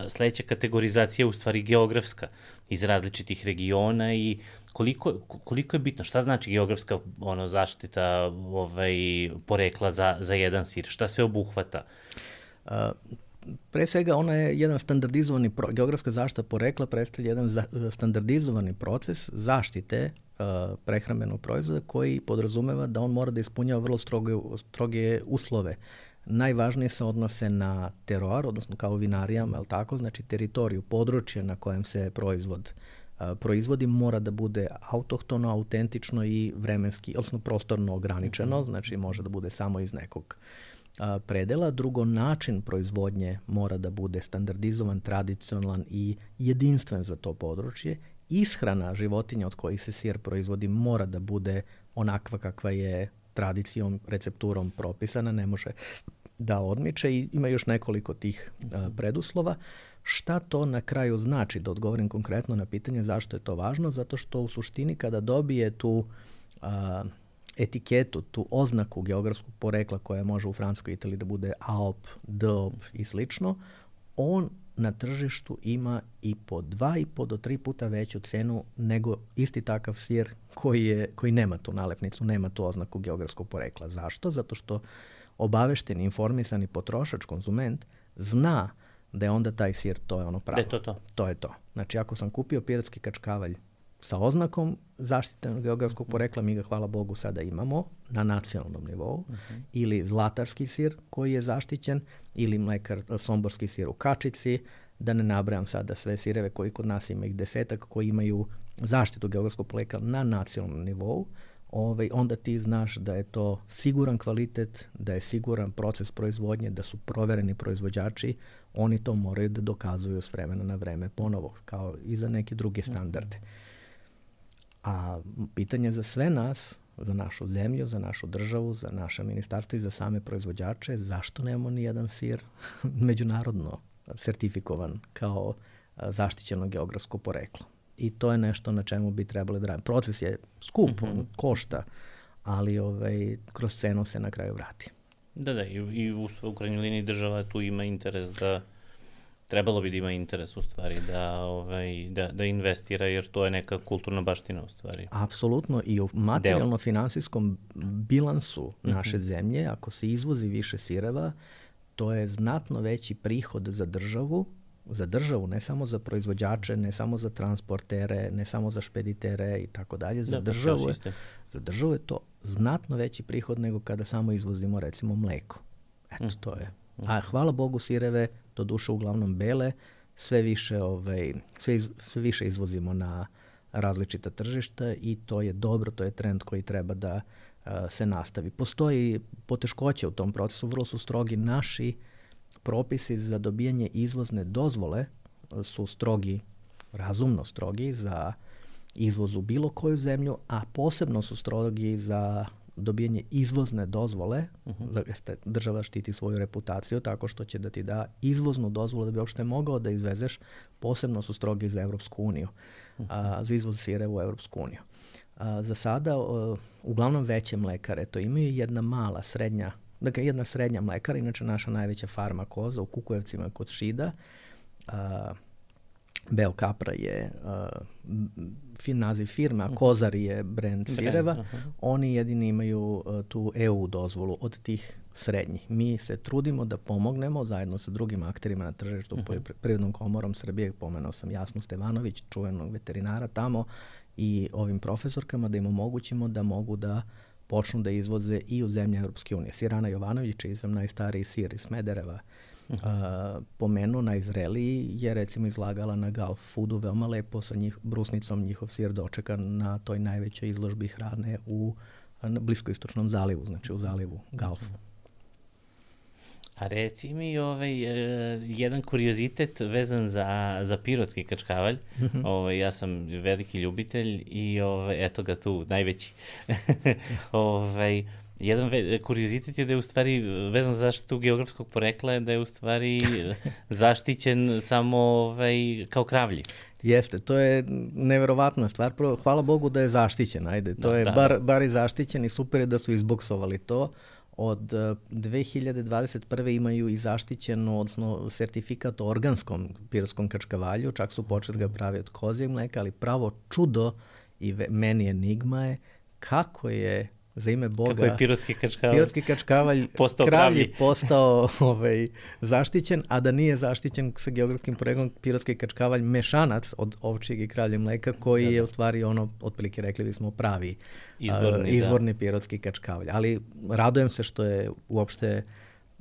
sledeća kategorizacija je u stvari geografska iz različitih regiona i koliko, koliko je bitno, šta znači geografska ono, zaštita ovaj, porekla za, za jedan sir, šta sve obuhvata? Uh, Pre svega, ona je jedan standardizovani, pro, geografska zaštita porekla predstavlja jedan za, standardizovani proces zaštite uh, prehrambenog proizvoda koji podrazumeva da on mora da ispunjava vrlo stroge, stroge uslove. Najvažnije se odnose na teroar, odnosno kao vinarijama, je tako? Znači teritoriju, područje na kojem se proizvod uh, proizvodi mora da bude autohtono, autentično i vremenski, odnosno prostorno ograničeno, znači može da bude samo iz nekog a, predela. Drugo, način proizvodnje mora da bude standardizovan, tradicionalan i jedinstven za to područje. Ishrana životinja od kojih se sir proizvodi mora da bude onakva kakva je tradicijom, recepturom propisana, ne može da odmiče i ima još nekoliko tih a, preduslova. Šta to na kraju znači? Da odgovorim konkretno na pitanje zašto je to važno, zato što u suštini kada dobije tu a, etiketu, tu oznaku geografskog porekla koja može u Francuskoj i Italiji da bude A O P, D O P i slično, on na tržištu ima i po dva i po do tri puta veću cenu nego isti takav sir koji, je, koji nema tu nalepnicu, nema tu oznaku geografskog porekla. Zašto? Zato što obavešteni, informisani potrošač, konzument, zna da je onda taj sir, to je ono pravo. Da je to to. To je to. Znači, ako sam kupio pirotski kačkavalj sa oznakom zaštitenog geografskog porekla, mi ga, hvala Bogu, sada imamo na nacionalnom nivou, uh-huh. ili zlatarski sir koji je zaštićen, ili mlekar somborski sir u kačici, da ne nabrajam sada sve sireve koji kod nas ima ih desetak, koji imaju zaštitu geografskog porekla na nacionalnom nivou, ovaj, onda ti znaš da je to siguran kvalitet, da je siguran proces proizvodnje, da su provereni proizvođači, oni to moraju da dokazuju s vremena na vreme ponovo, kao i za neke druge standarde. A pitanje za sve nas, za našu zemlju, za našu državu, za naše ministarstvo i za same proizvođače, zašto nemamo ni jedan sir međunarodno sertifikovan kao zaštićeno geografsko poreklo? I to je nešto na čemu bi trebali da radimo. Proces je skup, mm-hmm. on košta, ali ovaj, kroz cenu se na kraju vrati. Da, da, i, i u, u krajnjoj liniji država tu ima interes da, trebalo bi da ima interes u stvari da, ovaj, da, da investira, jer to je neka kulturna baština u stvari. Apsolutno, i u materijalno-finansijskom bilansu mm-hmm. naše zemlje, ako se izvozi više sireva, to je znatno veći prihod za državu, za državu, ne samo za proizvođače, ne samo za transportere, ne samo za špeditere i tako dalje. Za državu je, za državu je to znatno veći prihod nego kada samo izvozimo recimo mleko. Eto, mm. to je. A hvala Bogu sireve, to duše uglavnom bele, sve više, ovaj, sve, iz, sve više izvozimo na različita tržišta i to je dobro, to je trend koji treba da uh, se nastavi. Postoji poteškoće u tom procesu, vrlo su strogi naši propisi za dobijanje izvozne dozvole, su strogi, razumno strogi za izvoz u bilo koju zemlju, a posebno su strogi za dobijanje izvozne dozvole. Uh-huh. Država štiti svoju reputaciju tako što će da ti da izvoznu dozvolu da bi uopšte mogao da izvezeš. Posebno su strogi za Evropsku uniju, uh-huh. a, za izvoz sire u Evropsku uniju. A, za sada, a, uglavnom veće mlekare to imaju, jedna mala, srednja, dakle jedna srednja mlekara, inače naša najveća farma koza u Kukujevcima kod Šida, a, Beo Kapra je uh, fin naziv firme, a Kozar je brand sireva. Uh-huh. Oni jedini imaju uh, tu E U dozvolu od tih srednjih. Mi se trudimo da pomognemo zajedno sa drugim akterima na tržištu, uh-huh. Poljoprivrednom komorom Srbije, pomenuo sam Jasnu Stevanović, čuvenog veterinara tamo, i ovim profesorkama da im omogućimo da mogu da počnu da izvoze i u zemlje Europske unije. Sirana Jovanović, čiji sam najstariji sir iz Smedereva, Uh-huh. Uh, pomenuo, najzreliji je recimo izlagala na Gulf Foodu veoma lepo sa njih, brusnicom njihov sir dočekan na toj najvećoj izložbi hrane u na bliskoistočnom zalivu, znači u zalivu Gulfu. A reci mi ovaj, uh, jedan kuriozitet vezan za, za pirotski kačkavalj. Uh-huh. Ovaj, ja sam veliki ljubitelj i ovaj, eto ga tu, najveći. ovaj, Jedan ve- kuriozitet je da je u stvari vezan za zaštitu geografskog porekla, da je u stvari zaštićen samo ovaj, kao kravlji. Jeste, to je neverovatna stvar. Prvo, hvala Bogu da je zaštićen, ajde. To da, je da, bar, bar i zaštićen i super je da su izboksovali to. Od uh, dve hiljade dvadeset prve imaju i zaštićeno, odnosno sertifikat o organskom pirotskom kačkavalju, čak su počeli ga pravi od kozijeg mleka, ali pravo čudo i ve- meni enigma je kako je za ime Boga, kako je pirotski kačkavalj, pirotski kačkavalj postao kravlji postao ovaj, zaštićen, a da nije zaštićen sa geografskim poreklom pirotski kačkavalj mešanac od ovčjeg i kravljeg mleka, koji da, da. je u stvari ono, otprilike rekli bismo, pravi izvorni, uh, izvorni pirotski kačkavalj. Ali radujem se što je uopšte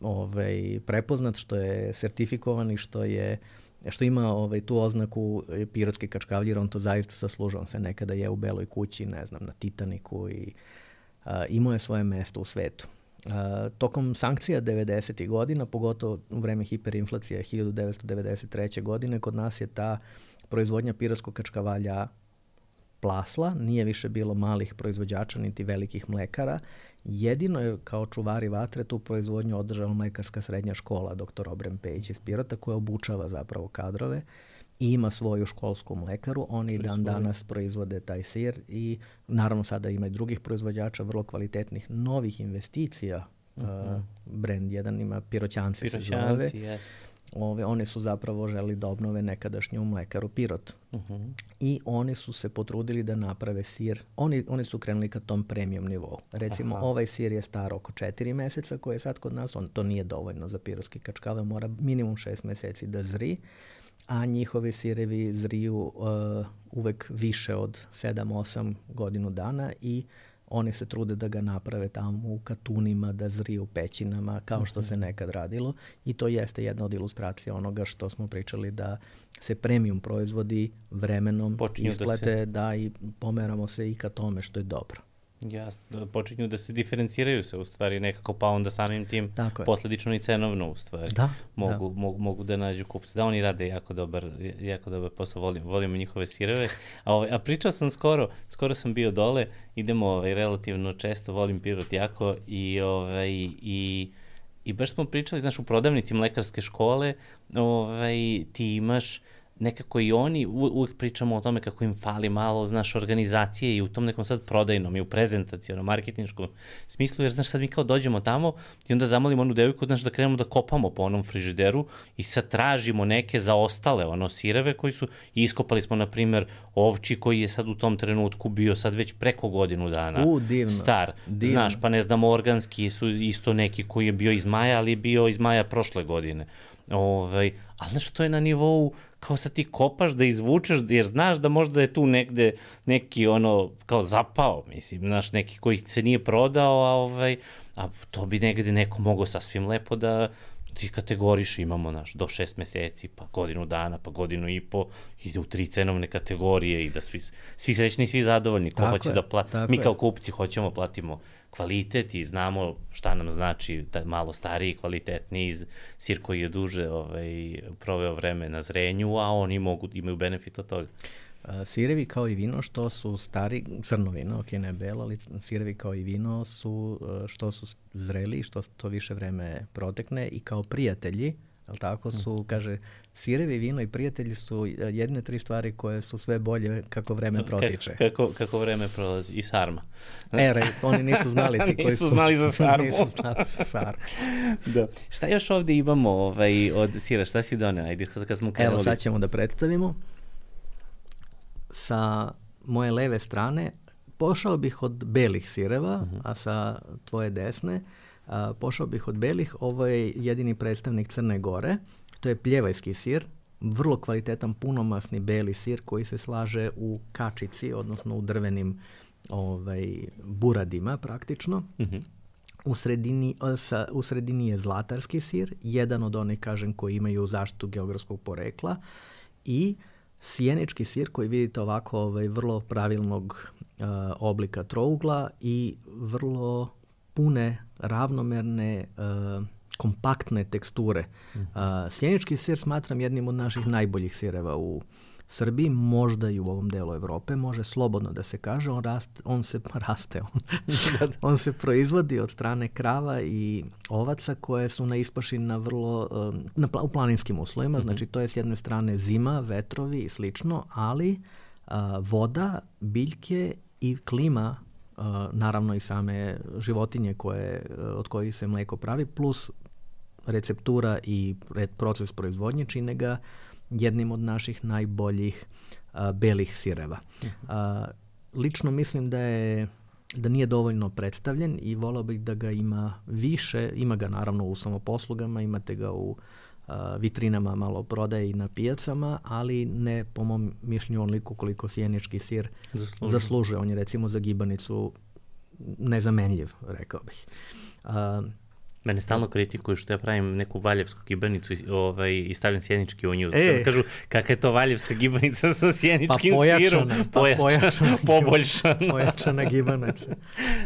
ovaj, prepoznat, što je sertifikovan i što je što ima ovaj, tu oznaku pirotski kačkavalj, jer on to zaista zaslužuje. On se nekada je u Beloj kući, ne znam, na Titaniku i Uh, imao je svoje mesto u svetu. Uh, tokom sankcija devedesetih godina, pogotovo u vreme hiperinflacije hiljadu devetsto devedeset treće. godine, kod nas je ta proizvodnja pirotskog kačkavalja plasla, nije više bilo malih proizvođača niti velikih mlekara. Jedino je kao čuvari vatre tu proizvodnju održala mlekarska srednja škola doktor Obrem Pejić iz Pirota, koja obučava zapravo kadrove i ima svoju školsku mlekaru. Oni dan danas proizvode taj sir i naravno sada ima i drugih proizvođača vrlo kvalitetnih novih investicija. Uh-huh. Uh, brand jedan ima Piroćanci, se zove, yes. ove, oni su zapravo želi da obnove nekadašnju mlekaru Pirot. Uh-huh. I oni su se potrudili da naprave sir. Oni, oni su krenuli ka tom premium nivou. Recimo, Aha. ovaj sir je star oko četiri meseca koji je sad kod nas. On, to nije dovoljno za pirotski kačkave. Mora minimum šest meseci da zri. A njihovi sirevi zriju uh, uvek više od sedam osam godinu dana i oni se trude da ga naprave tamo u katunima, da zriju u pećinama, kao što se nekad radilo. I to jeste jedna od ilustracija onoga što smo pričali, da se premium proizvodi vremenom Počinju isplate, da, se... da i pomeramo se i ka tome, što je dobro. Jasno, počinju da se diferenciraju se u stvari nekako, pa onda samim tim posledično i cenovno u stvari. Da, mogu, da. Mogu, mogu da nađu kupce. Da, oni rade jako dobar, jako dobar posao, volim, volimo njihove sireve. A, ovaj, a pričao sam skoro, skoro sam bio dole, idemo ovaj, relativno često, volim Pirot jako i, ovaj, i, i baš smo pričali, znaš, u prodavnici mlekarske škole, ovaj, ti imaš nekako i oni, uvijek pričamo o tome kako im fali malo, znaš, organizacije i u tom nekom sad prodajnom i u prezentacijonom, marketinškom smislu, jer, znaš, sad mi kao dođemo tamo i onda zamolimo onu devojku, znaš, da krenemo da kopamo po onom frižideru i sad tražimo neke zaostale, ono, sireve koji su, iskopali smo, na primer, ovči koji je sad u tom trenutku bio sad već preko godinu dana U, divno, star, divno. Znaš, pa ne znam, organski su isto neki koji je bio iz maja, ali je bio iz maja prošle godine. Ovaj, ali znaš, to je na nivou kao sad ti kopaš da izvučeš, jer znaš da možda je tu negde neki ono, kao zapao, mislim, znaš, neki koji se nije prodao, a, ovaj, a to bi negde neko mogao sasvim lepo da ti kategoriš, imamo, znaš, do šest meseci, pa godinu dana, pa godinu i po, ide u tri cenovne kategorije i da svi, svi srećni i svi zadovoljni, ko hoće je, da plati, mi kao kupci hoćemo, platimo kvalitet i znamo šta nam znači da malo stariji, kvalitetniji sir koji je duže ovaj, proveo vreme na zrenju, a oni mogu, imaju benefit od toga. Sirevi kao i vino što su stari, crno vino, ok, ne belo, ali sirevi kao i vino su što su zreli, što to više vreme protekne i kao prijatelji, ali tako su, kaže, sirevi, vino i prijatelji su jedne tri stvari koje su sve bolje kako vreme protiče. Kako, kako vreme prolazi. I sarma. E, re, oni nisu znali ti koji nisu su... znali za sarmu. Nisu znali za sarmu. Da. Šta još ovde imamo ovaj, od sira? Šta si doneo? Ajde, kad smo krenuli. Evo, sad ćemo da predstavimo. Sa moje leve strane pošao bih od belih sireva, uh-huh. a sa tvoje desne a, pošao bih od belih. Ovo je jedini predstavnik Crne Gore. To je pljevajski sir, vrlo kvalitetan, punomasni beli sir koji se slaže u kačici, odnosno u drvenim ovaj, buradima praktično. Uh-huh. U sredini, sa, u sredini je zlatarski sir, jedan od onih, kažem, koji imaju zaštitu geografskog porekla, i sjenički sir koji vidite ovako ovaj, vrlo pravilnog uh, oblika trougla i vrlo pune, ravnomerne, uh, kompaktne teksture. Uh, sjenički sir smatram jednim od naših najboljih sireva u Srbiji, možda i u ovom delu Evrope, može slobodno da se kaže, on, raste, on se raste, on, on se proizvodi od strane krava i ovaca koje su na ispaši na vrlo, na, u planinskim uslovima, mm-hmm. znači to je s jedne strane zima, vetrovi i slično, ali a, voda, biljke i klima, a, naravno i same životinje koje, od kojih se mleko pravi, plus receptura i proces proizvodnje čine ga jednim od naših najboljih a, belih sireva. A, lično mislim da je da nije dovoljno predstavljen i volao bih da ga ima više. Ima ga naravno u samoposlugama, imate ga u a, vitrinama malo prodaje i na pijacama, ali ne po mom mišljenju onoliko koliko sjenički sir zaslužuje. zaslužuje. On je recimo za gibanicu nezamenljiv, rekao bih. A, Mene stalno kritikuju što ja pravim neku valjevsku gibanicu i, ovaj, i stavljam sjenički u nju. E. Kažu, kakva je to valjevska gibanica sa sjeničkim pa pojačana, sirom? Pa pojačana. Poboljšana. Pojačana gibanica.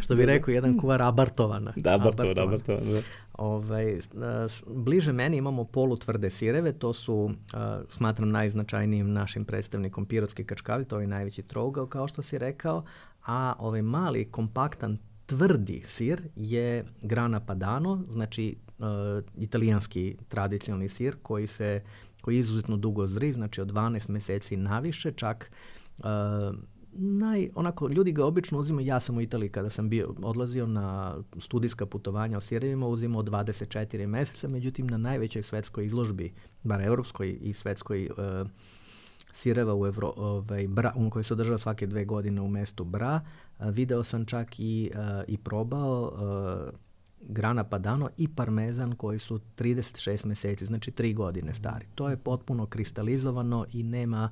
Što bi rekao jedan kuvar, abartovana. Da, abartovana, abartovana. Da. Ovaj, bliže meni imamo polutvrde sireve, to su, smatram, najznačajnijim našim predstavnikom pirotski kačkavi, to je najveći trougao, kao što si rekao, a ovaj mali, kompaktan, tvrdi sir je Grana Padano, znači uh, italijanski tradicionalni sir koji se koji izuzetno dugo zri, znači od dvanaest meseci naviše, čak uh, naj, onako, ljudi ga obično uzimaju, ja sam u Italiji kada sam bio, odlazio na studijska putovanja o sirevima, uzimao dvadeset četiri meseca, međutim na najvećoj svetskoj izložbi, bar evropskoj i svetskoj uh, sireva u Evro, ovaj, Bra, um, koji se održava svake dve godine u mestu Bra, uh, video sam čak i, uh, i probao uh, Grana Padano i parmezan koji su trideset šest meseci, znači tri godine stari. To je potpuno kristalizovano i nema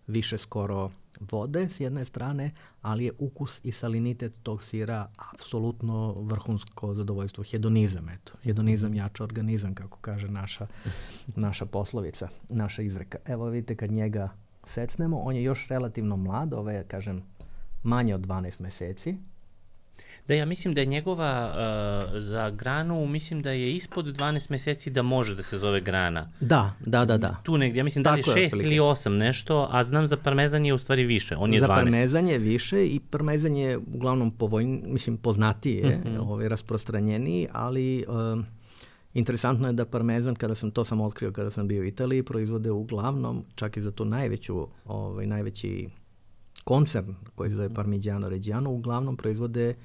više skoro vode s jedne strane, ali je ukus i salinitet tog sira apsolutno vrhunsko zadovoljstvo. Hedonizam, eto. Hedonizam jača organizam, kako kaže naša, naša poslovica, naša izreka. Evo vidite kad njega secnemo, on je još relativno mlad, ovo je, kažem, manje od dvanaest meseci. Da, ja mislim da je njegova uh, za granu, mislim da je ispod dvanaest meseci da može da se zove grana. Da, da, da, da. Tu negdje, ja mislim da li je šest ili osam nešto, a znam za parmezan je u stvari više, on je za dvanaest. Za parmezan je više i parmezan je uglavnom povoljni, mislim poznatiji je, mm-hmm. ovaj, rasprostranjeniji, ali uh, interesantno je da parmezan, kada sam to sam otkrio kada sam bio u Italiji, proizvode uglavnom, čak i za tu najveću, ovaj, najveći koncern koji se zove Parmigiano Reggiano, uglavnom proizvode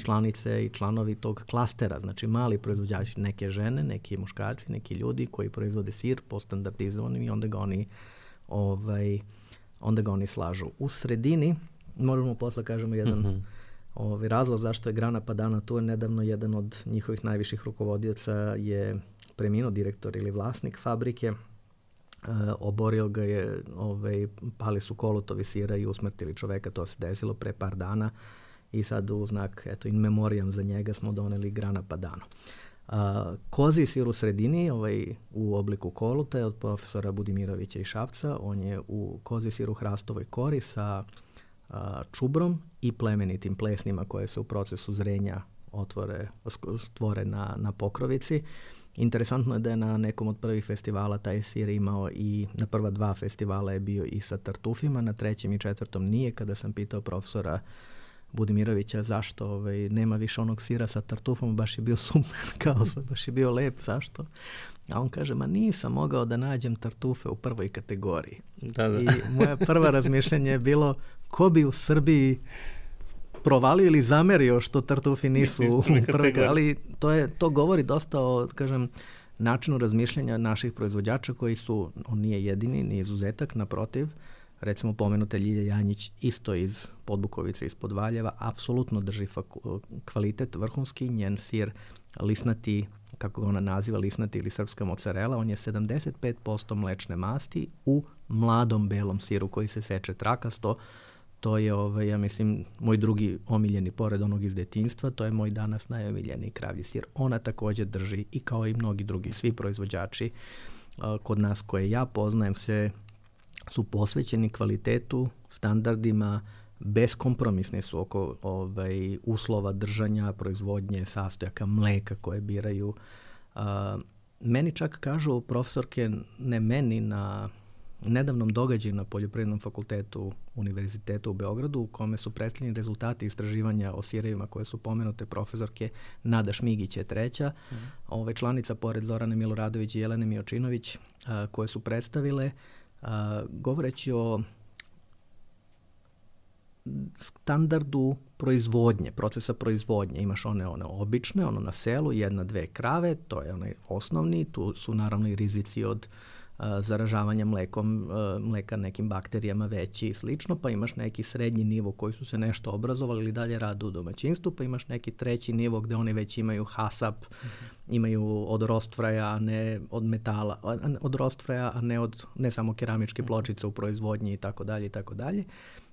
članice i članovi tog klastera, znači mali proizvođači, neke žene, neki muškarci, neki ljudi koji proizvode sir po standardizovanim i onda ga oni ovaj, onda ga oni slažu. U sredini, možemo posle kažemo jedan mm-hmm. ovaj, razlog zašto je Grana Padano tu, je nedavno jedan od njihovih najviših rukovodioca je preminuo, direktor ili vlasnik fabrike, Uh, oborio ga je, ovaj, pali su kolutovi sira i usmrtili čoveka, to se desilo pre par dana i sad u znak, eto, in memoriam za njega smo doneli Grana Padano. Uh, kozi sir u sredini, ovaj, u obliku koluta je od profesora Budimirovića i Šapca, on je u kozi sir u hrastovoj kori sa uh, čubrom i plemenitim plesnima koje se u procesu zrenja otvore, stvore na, na pokrovici. Interesantno je da je na nekom od prvih festivala taj sir imao i na prva dva festivala je bio i sa tartufima, na trećem i četvrtom nije. Kada sam pitao profesora Budimirovića zašto ovaj, nema više onog sira sa tartufom, baš je bio super, kao baš je bio lep, zašto? A on kaže, ma nisam mogao da nađem tartufe u prvoj kategoriji. Da, da. I moja prva razmišljanje je bilo, ko bi u Srbiji provalio ili zamerio što tartufi nisu u prvoj, ali to, je, to govori dosta o, kažem, načinu razmišljanja naših proizvođača koji su, on nije jedini, nije izuzetak, naprotiv, recimo pomenuta Ljilja Janjić isto iz Podbukovice, iz Podvaljeva, apsolutno drži faku, kvalitet vrhunski, njen sir lisnati, kako ga ona naziva, lisnati ili srpska mozzarella, on je sedamdeset pet posto mlečne masti u mladom belom siru koji se seče trakasto. To je, ovaj, ja mislim, moj drugi omiljeni, pored onog iz detinjstva, to je moj danas najomiljeniji kravlji sir. Ona također drži i kao i mnogi drugi, svi proizvođači a, kod nas koje ja poznajem se su posvećeni kvalitetu, standardima, beskompromisni su oko ovaj, uslova držanja, proizvodnje, sastojaka, mleka koje biraju. A, meni čak kažu profesorke, ne meni, na nedavnom događaju na Poljoprivrednom fakultetu Univerzitetu u Beogradu u kome su predstavljeni rezultati istraživanja o sirevima koje su pomenute profesorke. Nada Šmigić je treća, mm. ove članica pored Zorane Miloradović i Jelene Miočinović a, koje su predstavile a, govoreći o standardu proizvodnje, procesa proizvodnje. Imaš one, one obične, ono na selu, jedna, dve krave, to je onaj osnovni, tu su naravno i rizici od zaražavanja mlekom, mleka nekim bakterijama veći i slično, pa imaš neki srednji nivo koji su se nešto obrazovali ili dalje rade u domaćinstvu, pa imaš neki treći nivo gde oni već imaju hasap, mm-hmm. imaju od rostfraja, a ne od metala, od rostfraja, a ne od ne samo keramičke pločice u proizvodnji i tako dalje i tako dalje.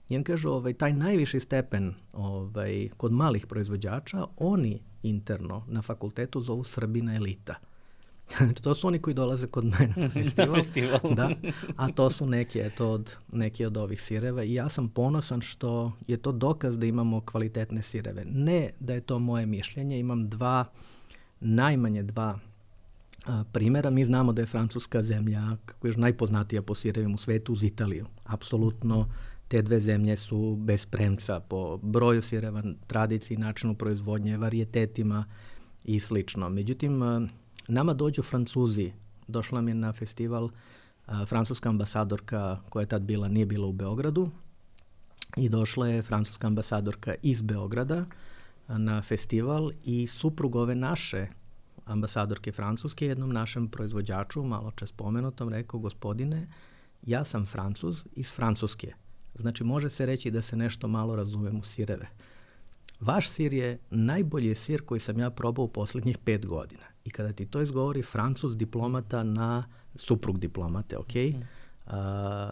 I on kažu, ovaj, taj najviši stepen ovaj, kod malih proizvođača, oni interno na fakultetu zovu Srbina elita. To su oni koji dolaze kod mene na festival, festival. Da, a to su neki, eto, od, neki od ovih sireva i ja sam ponosan što je to dokaz da imamo kvalitetne sireve. Ne da je to moje mišljenje, imam dva, najmanje dva a, primjera. Mi znamo da je Francuska zemlja, kako je najpoznatija po sirevima u svetu, uz Italiju. Apsolutno te dve zemlje su bez premca po broju sireva, tradiciji, načinu proizvodnje, varijetetima i slično. Međutim, nama dođu Francuzi. Došla mi je na festival a, francuska ambasadorka koja je tad bila, nije bila u Beogradu i došla je francuska ambasadorka iz Beograda na festival i suprug ove naše ambasadorke francuske jednom našem proizvođaču, malo čas spomenutom, rekao: gospodine, ja sam Francuz iz Francuske. Znači, može se reći da se nešto malo razumem u sireve. Vaš sir je najbolji sir koji sam ja probao u posljednjih pet godina. I kada ti to izgovori Francuz diplomata na, suprug diplomate, ok, mm. a,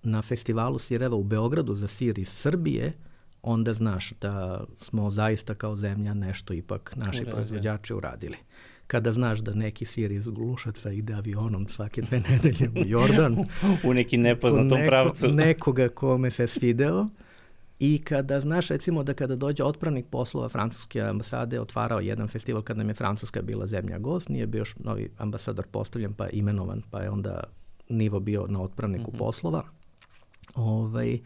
na festivalu sireva u Beogradu za sir iz Srbije, onda znaš da smo zaista kao zemlja nešto ipak naši Uradili. proizvođači uradili. Kada znaš da neki sir iz Glušaca ide avionom svake dve nedelje u Jordan, u nekim nepoznatom neko, pravcu, nekoga kome se svideo, i kada znaš recimo da kada dođe otpravnik poslova francuske ambasade, otvarao jedan festival kad nam je Francuska bila zemlja gost, nije bio još novi ambasador postavljen pa imenovan, pa je onda nivo bio na otpravniku mm-hmm. poslova. Ovaj,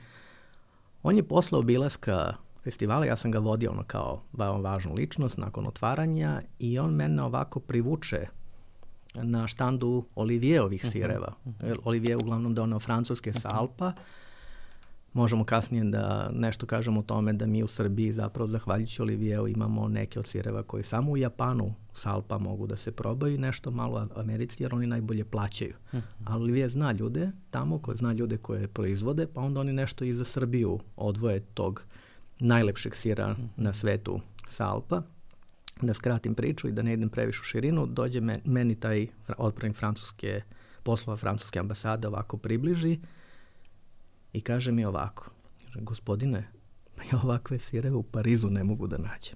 on je posle obilaska festivala, ja sam ga vodio ono kao važnu ličnost nakon otvaranja, i on mene ovako privuče na štandu Olivijeovih sireva. Uh-huh. Olivier uglavnom doneo francuske sa Alpa. Možemo kasnije da nešto kažemo o tome da mi u Srbiji zapravo zahvaljujući Olivieru imamo neke od sireva koji samo u Japanu sa Alpa mogu da se probaju, nešto malo Americi jer oni najbolje plaćaju. Uh-huh. A Olivier zna ljude tamo, ko zna ljude koje proizvode, pa onda oni nešto i za Srbiju odvoje tog najlepšeg sira uh-huh. na svetu sa Alpa. Da skratim priču i da ne idem previše u širinu, dođe me, meni taj otpravnik francuske poslova francuske ambasade ovako približi i kaže mi ovako: gospodine, pa ja ovakve sireve u Parizu ne mogu da nađem.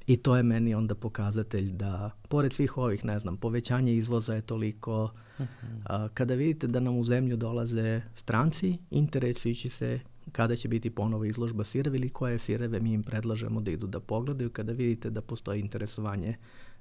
I to je meni onda pokazatelj da, pored svih ovih, ne znam, povećanje izvoza je toliko, uh-huh. a, kada vidite da nam u zemlju dolaze stranci, interesujući se kada će biti ponovo izložba sireva ili koje sireve mi im predlažemo da idu da pogledaju, kada vidite da postoji interesovanje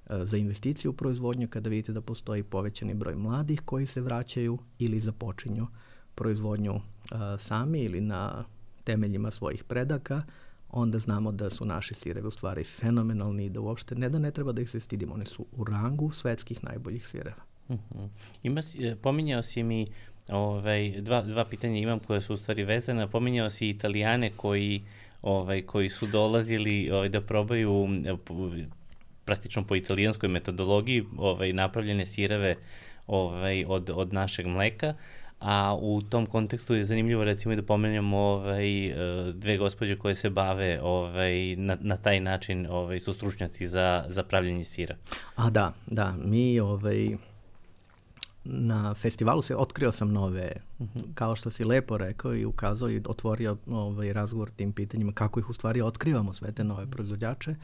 a, za investiciju u proizvodnju, kada vidite da postoji povećani broj mladih koji se vraćaju ili započinju proizvodnju a, sami ili na temeljima svojih predaka, onda znamo da su naši sirevi u stvari fenomenalni i da uopšte ne da ne treba da ih se stidimo, oni su u rangu svetskih najboljih sireva. Uh-huh. Ima, pominjao si mi ovaj, dva, dva pitanja imam koje su u stvari vezane. Pominjao si Italijane koji, ovaj, koji su dolazili ovaj, da probaju praktično po italijanskoj metodologiji ovaj, napravljene sireve ovaj, od, od našeg mleka. A u tom kontekstu je zanimljivo recimo i da pomenemo ovaj, dve gospođe koje se bave ovaj, na, na taj način, ovaj, su stručnjaci za, za pravljenje sira. A da, da, mi ovaj, na festivalu se otkrio sam nove, uh-huh. kao što si lepo rekao i ukazao i otvorio ovaj, razgovor tim pitanjima kako ih u stvari otkrivamo sve te nove proizvođače.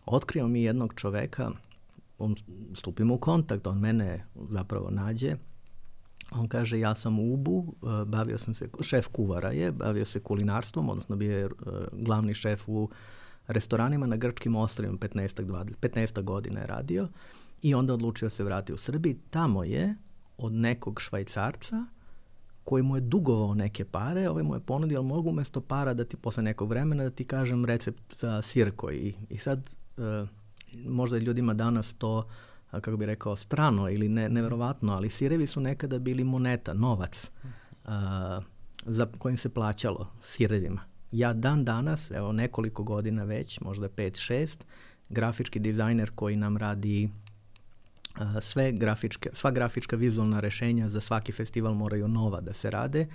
Otkrio mi jednog čoveka, on, stupimo u kontakt, on mene zapravo nađe. On kaže, ja sam u Ubu, bavio sam se, šef kuvara je, bavio se kulinarstvom, odnosno bio je glavni šef u restoranima na grčkim ostrvima, petnaest godina je radio i onda odlučio se vratiti u Srbiji. Tamo je od nekog Švajcarca koji mu je dugovao neke pare, ovaj mu je ponudio, ali mogu umjesto para da ti posle nekog vremena da ti kažem recept za sir koji. I sad možda ljudima danas to, kako bi rekao, strano ili ne, neverovatno, ali sirevi su nekada bili moneta, novac a, za kojim se plaćalo sirevima. Ja dan danas, evo nekoliko godina već, možda pet šest, grafički dizajner koji nam radi a, sve grafičke, sva grafička vizualna rešenja za svaki festival moraju nova da se rade,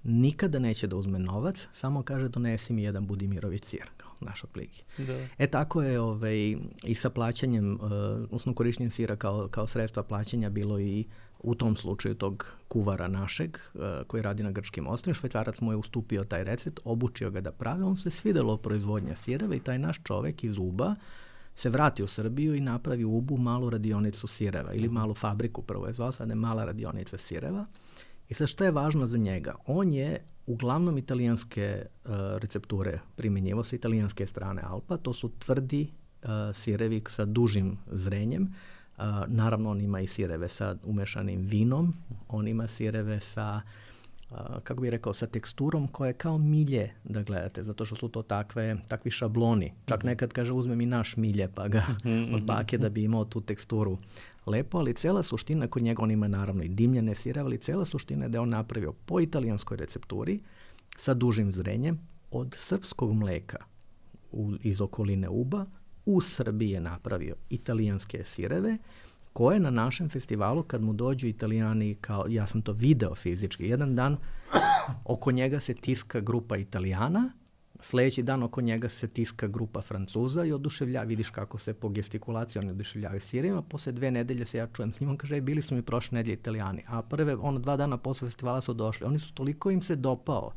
nikada neće da uzme novac, samo kaže donesi mi jedan Budimirović sir, kao naš otprilike. E tako je ovaj, i sa plaćanjem, uh, odnosno korištenjem sira kao, kao sredstva plaćanja bilo i u tom slučaju tog kuvara našeg uh, koji radi na grčkim ostrvima. Švajcarac mu je ustupio taj recept, obučio ga da pravi, on se svidelo proizvodnja sireva i taj naš čovek iz Uba se vrati u Srbiju i napravi u Ubu malu radionicu sireva ili malu fabriku, prvo je zvao, sad je mala radionica sireva. I sad što je važno za njega? On je uglavnom italijanske uh, recepture primjenjivao sa italijanske strane Alpa. To su tvrdi uh, sirevi sa dužim zrenjem. Uh, naravno, on ima i sireve sa umešanim vinom. On ima sireve sa, uh, kako bih rekao, sa teksturom koja je kao milje da gledate, zato što su to takve, takvi šabloni. Čak nekad kaže uzme mi naš milje pa ga od bake da bi imao tu teksturu. Lepo, ali cela suština kod njega, on ima naravno i dimljene sireve, ali cela suština je da je on napravio po italijanskoj recepturi sa dužim zrenjem od srpskog mleka u, iz okoline Uba u Srbiji je napravio italijanske sireve koje na našem festivalu kad mu dođu Italijani, kao ja sam to video fizički, jedan dan oko njega se tiska grupa Italijana, sljedeći dan oko njega se tiska grupa Francuza i oduševlja, vidiš kako se po gestikulaciji oni oduševljavaju sirevima, posle dve nedelje se ja čujem s njim, on kaže, e, bili su mi prošle nedelje Italijani, a prve, ono, dva dana posle festivala su došli, oni su toliko im se dopao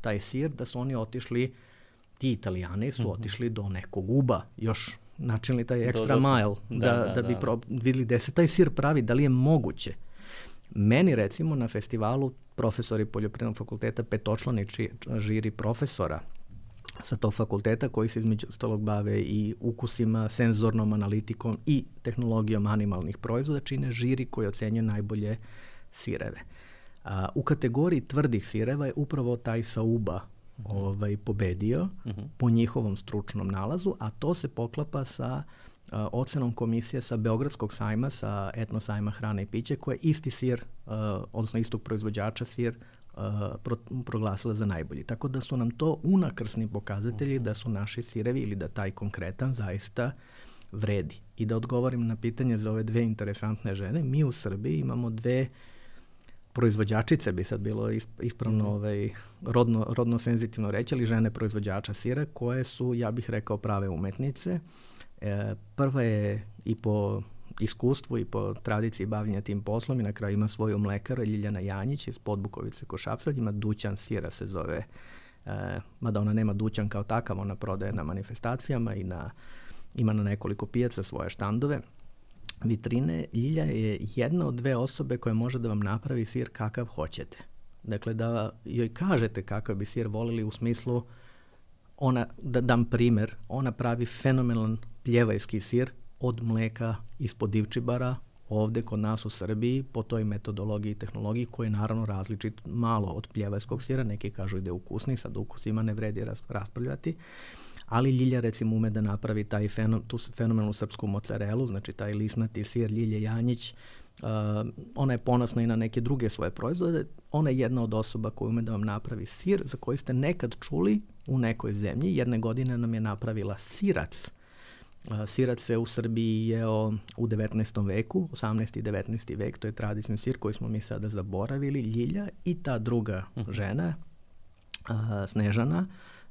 taj sir da su oni otišli, ti Italijani su mm-hmm. otišli do nekog Uba, još načinili taj extra do, do, mile, da, da, da, da bi da. Pro, vidjeli gde se taj sir pravi, da li je moguće. Meni recimo na festivalu profesori Poljoprivrednog fakulteta, petočlani žiri profesora sa tog fakulteta koji se između ostalog bave i ukusima, senzornom analitikom i tehnologijom animalnih proizvoda, čine žiri koji ocenjuje najbolje sireve. A, u kategoriji tvrdih sireva je upravo taj sa Uba uh-huh. ovaj, pobedio uh-huh. po njihovom stručnom nalazu, a to se poklapa sa a, ocenom komisije sa Beogradskog sajma, sa etno sajma hrane i piće, koja je isti sir, a, odnosno istog proizvođača sir, Uh, pro, proglasila za najbolji. Tako da su nam to unakrsni pokazatelji da su naši sirevi ili da taj konkretan zaista vredi. I da odgovorim na pitanje za ove dve interesantne žene, mi u Srbiji imamo dve proizvođačice, bi sad bilo ispravno mm-hmm. ovaj, rodno, rodno senzitivno reći, ali žene proizvođača sira koje su, ja bih rekao, prave umetnice. E, prva je i po iskustvu i po tradiciji bavljenja tim poslom i na kraju ima svoju mlekaru, Ljiljana Janjić iz Podbukovice kod Šapca, ima dućan sira se zove, e, mada ona nema dućan kao takav, ona prodaje na manifestacijama i na, ima na nekoliko pijaca svoje štandove, vitrine. Ljilja je jedna od dve osobe koja može da vam napravi sir kakav hoćete. Dakle, da joj kažete kakav bi sir volili u smislu, ona, da dam primer, ona pravi fenomenalan pljevajski sir od mleka ispod Divčibara, ovde kod nas u Srbiji, po toj metodologiji i tehnologiji koji je naravno različit malo od pljevajskog sira, neki kažu da je ukusni, sad ukusima ne vredi raspravljati, ali Ljilja recimo ume da napravi taj fenom, tu fenomenalnu srpsku mozzarelu, znači taj lisnati sir Ljilje Janjić, uh, ona je ponosna i na neke druge svoje proizvode, ona je jedna od osoba koja ume da vam napravi sir za koji ste nekad čuli u nekoj zemlji. Jedne godine nam je napravila sirac. Sirac se u Srbiji jeo u devetnaestom veku, osamnaesti i devetnaesti vek, to je tradicionalni sir koji smo mi sada zaboravili. Ljilja i ta druga žena, a, Snežana,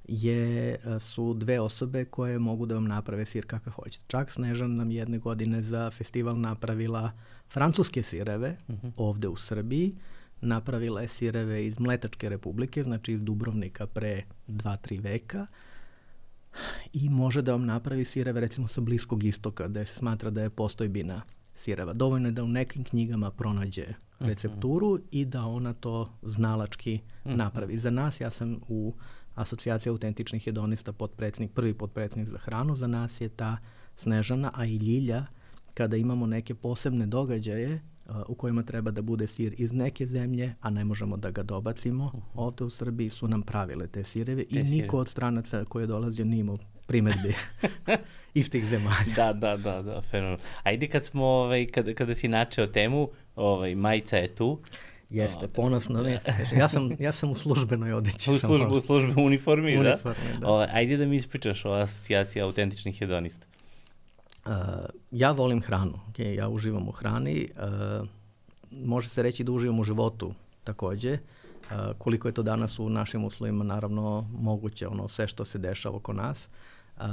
je, su dve osobe koje mogu da vam naprave sir kakav hoćete. Čak Snežana nam jedne godine za festival napravila francuske sireve uh-huh. ovde u Srbiji. Napravila je sireve iz Mletačke republike, znači iz Dubrovnika pre dva tri veka. I može da vam napravi sireve recimo sa Bliskog istoka, gde se smatra da je postojbina sireva. Dovoljno je da u nekim knjigama pronađe recepturu uh-huh. i da ona to znalački uh-huh. napravi. Za nas, ja sam u Asocijaciji autentičnih hedonista potpredsjednik, prvi potpredsjednik za hranu, za nas je ta Snežana, a i Ljilja, kada imamo neke posebne događaje uh, u kojima treba da bude sir iz neke zemlje, a ne možemo da ga dobacimo, uh-huh. ovde u Srbiji su nam pravile te sireve te i niko sire. Od stranaca koji je dolazio nije imao primedbi iz tih zemalja. Da, da, da, da, fenomenalno. Ajde kad smo, ovaj, kada, kada si načeo temu, ovaj, majica je tu. Jeste, ponosno, ne. Ja sam, ja sam u službenoj odeći. U, služb, u službenoj uniformi, uniformi, da? da. Ovaj, ajde da mi ispričaš o Asocijaciji autentičnih hedonista. Uh, ja volim hranu, okay? Ja uživam u hrani, uh, može se reći da uživam u životu takođe, uh, koliko je to danas u našim uslovima naravno moguće, ono sve što se dešava oko nas. Uh,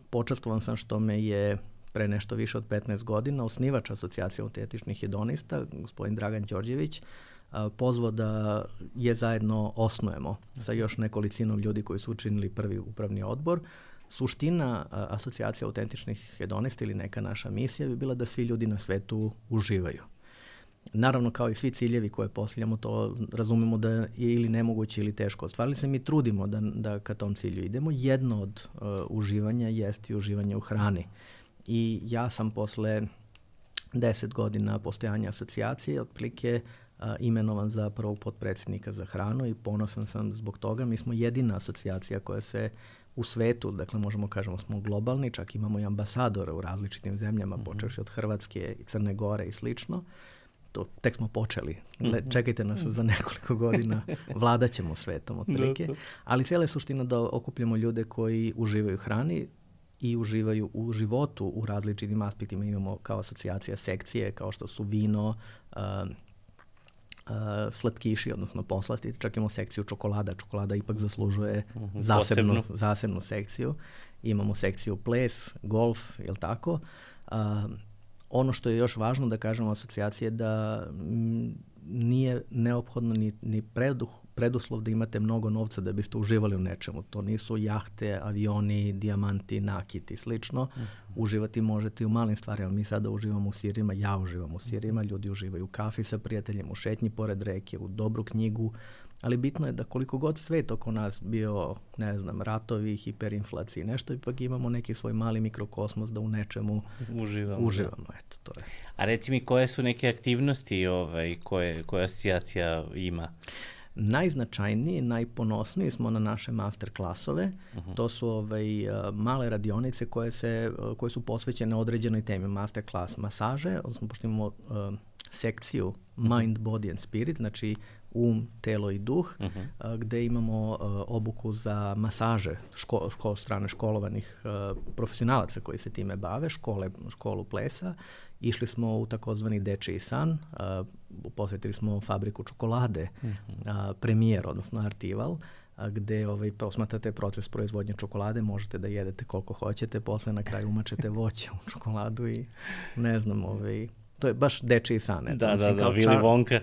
počastvovan sam što me je pre nešto više od petnaest godina osnivač Asocijacije autentičnih hedonista, gospodin Dragan Đorđević, uh, pozvao da je zajedno osnujemo sa još nekolicinom ljudi koji su učinili prvi upravni odbor. Suština a, Asocijacije autentičnih hedonista ili neka naša misija bi bila da svi ljudi na svetu uživaju. Naravno, kao i svi ciljevi koje postavljamo, to razumemo da je ili nemoguće ili teško ostvarili se, mi trudimo da, da ka tom cilju idemo. Jedno od uh, uživanja jeste i uživanje u hrani. I ja sam posle deset godina postojanja asocijacije otprilike uh, imenovan za prvog potpredsjednika za hranu i ponosan sam zbog toga. Mi smo jedina asocijacija koja se u svetu, dakle možemo kažemo smo globalni, čak imamo i ambasadora u različitim zemljama, mm-hmm. počevši od Hrvatske i Crne Gore i slično, to tek smo počeli. Le, čekajte nas za nekoliko godina, vladat ćemo svetom otprilike. Ali cijela je suština da okupljamo ljude koji uživaju u hrani i uživaju u životu u različitim aspektima. Imamo kao asocijacija sekcije, kao što su vino, uh, uh, slatkiši, odnosno poslasti. Čak imamo sekciju čokolada. Čokolada ipak zaslužuje uh-huh. zasebnu, zasebnu sekciju. Imamo sekciju ples, golf, jel tako? Uh, ono što je još važno da kažemo asocijacije da m, nije neophodno ni, ni preduh, preduslov da imate mnogo novca da biste uživali u nečemu. To nisu jahte, avioni, dijamanti, nakiti i slično. Uh-huh. Uživati možete i u malim stvarima. Mi sada uživamo u sirima, ja uživam u sirima, ljudi uživaju u kafi sa prijateljem, u šetnji pored reke, u dobru knjigu. Ali bitno je da koliko god svet oko nas bio, ne znam, ratovi, hiperinflaciji, nešto, ipak imamo neki svoj mali mikrokosmos da u nečemu uživamo. uživamo. Eto, to je. A reci mi, koje su neke aktivnosti ovaj, koje, koje asocijacija ima? Najznačajniji, najponosniji smo na naše master klasove. Uh-huh. To su ovaj, male radionice koje, se, koje su posvećene određenoj temi. Master klas masaže, odnosno pošto imamo uh, sekciju Mind, Body and Spirit, znači um, telo i duh, uh-huh. a, gde imamo a, obuku za masaže ško, ško, strane školovanih a, profesionalaca koji se time bave, škole, školu plesa. Išli smo u takozvani dečiji san, a, posvetili smo fabriku čokolade, uh-huh. a, premijer, odnosno Artival, a, gde ovaj, posmatrate proces proizvodnje čokolade, možete da jedete koliko hoćete, posle na kraju umačete voće u čokoladu i ne znam, ovaj, to je baš dečiji san. Da, da, da, da, Willy Wonka.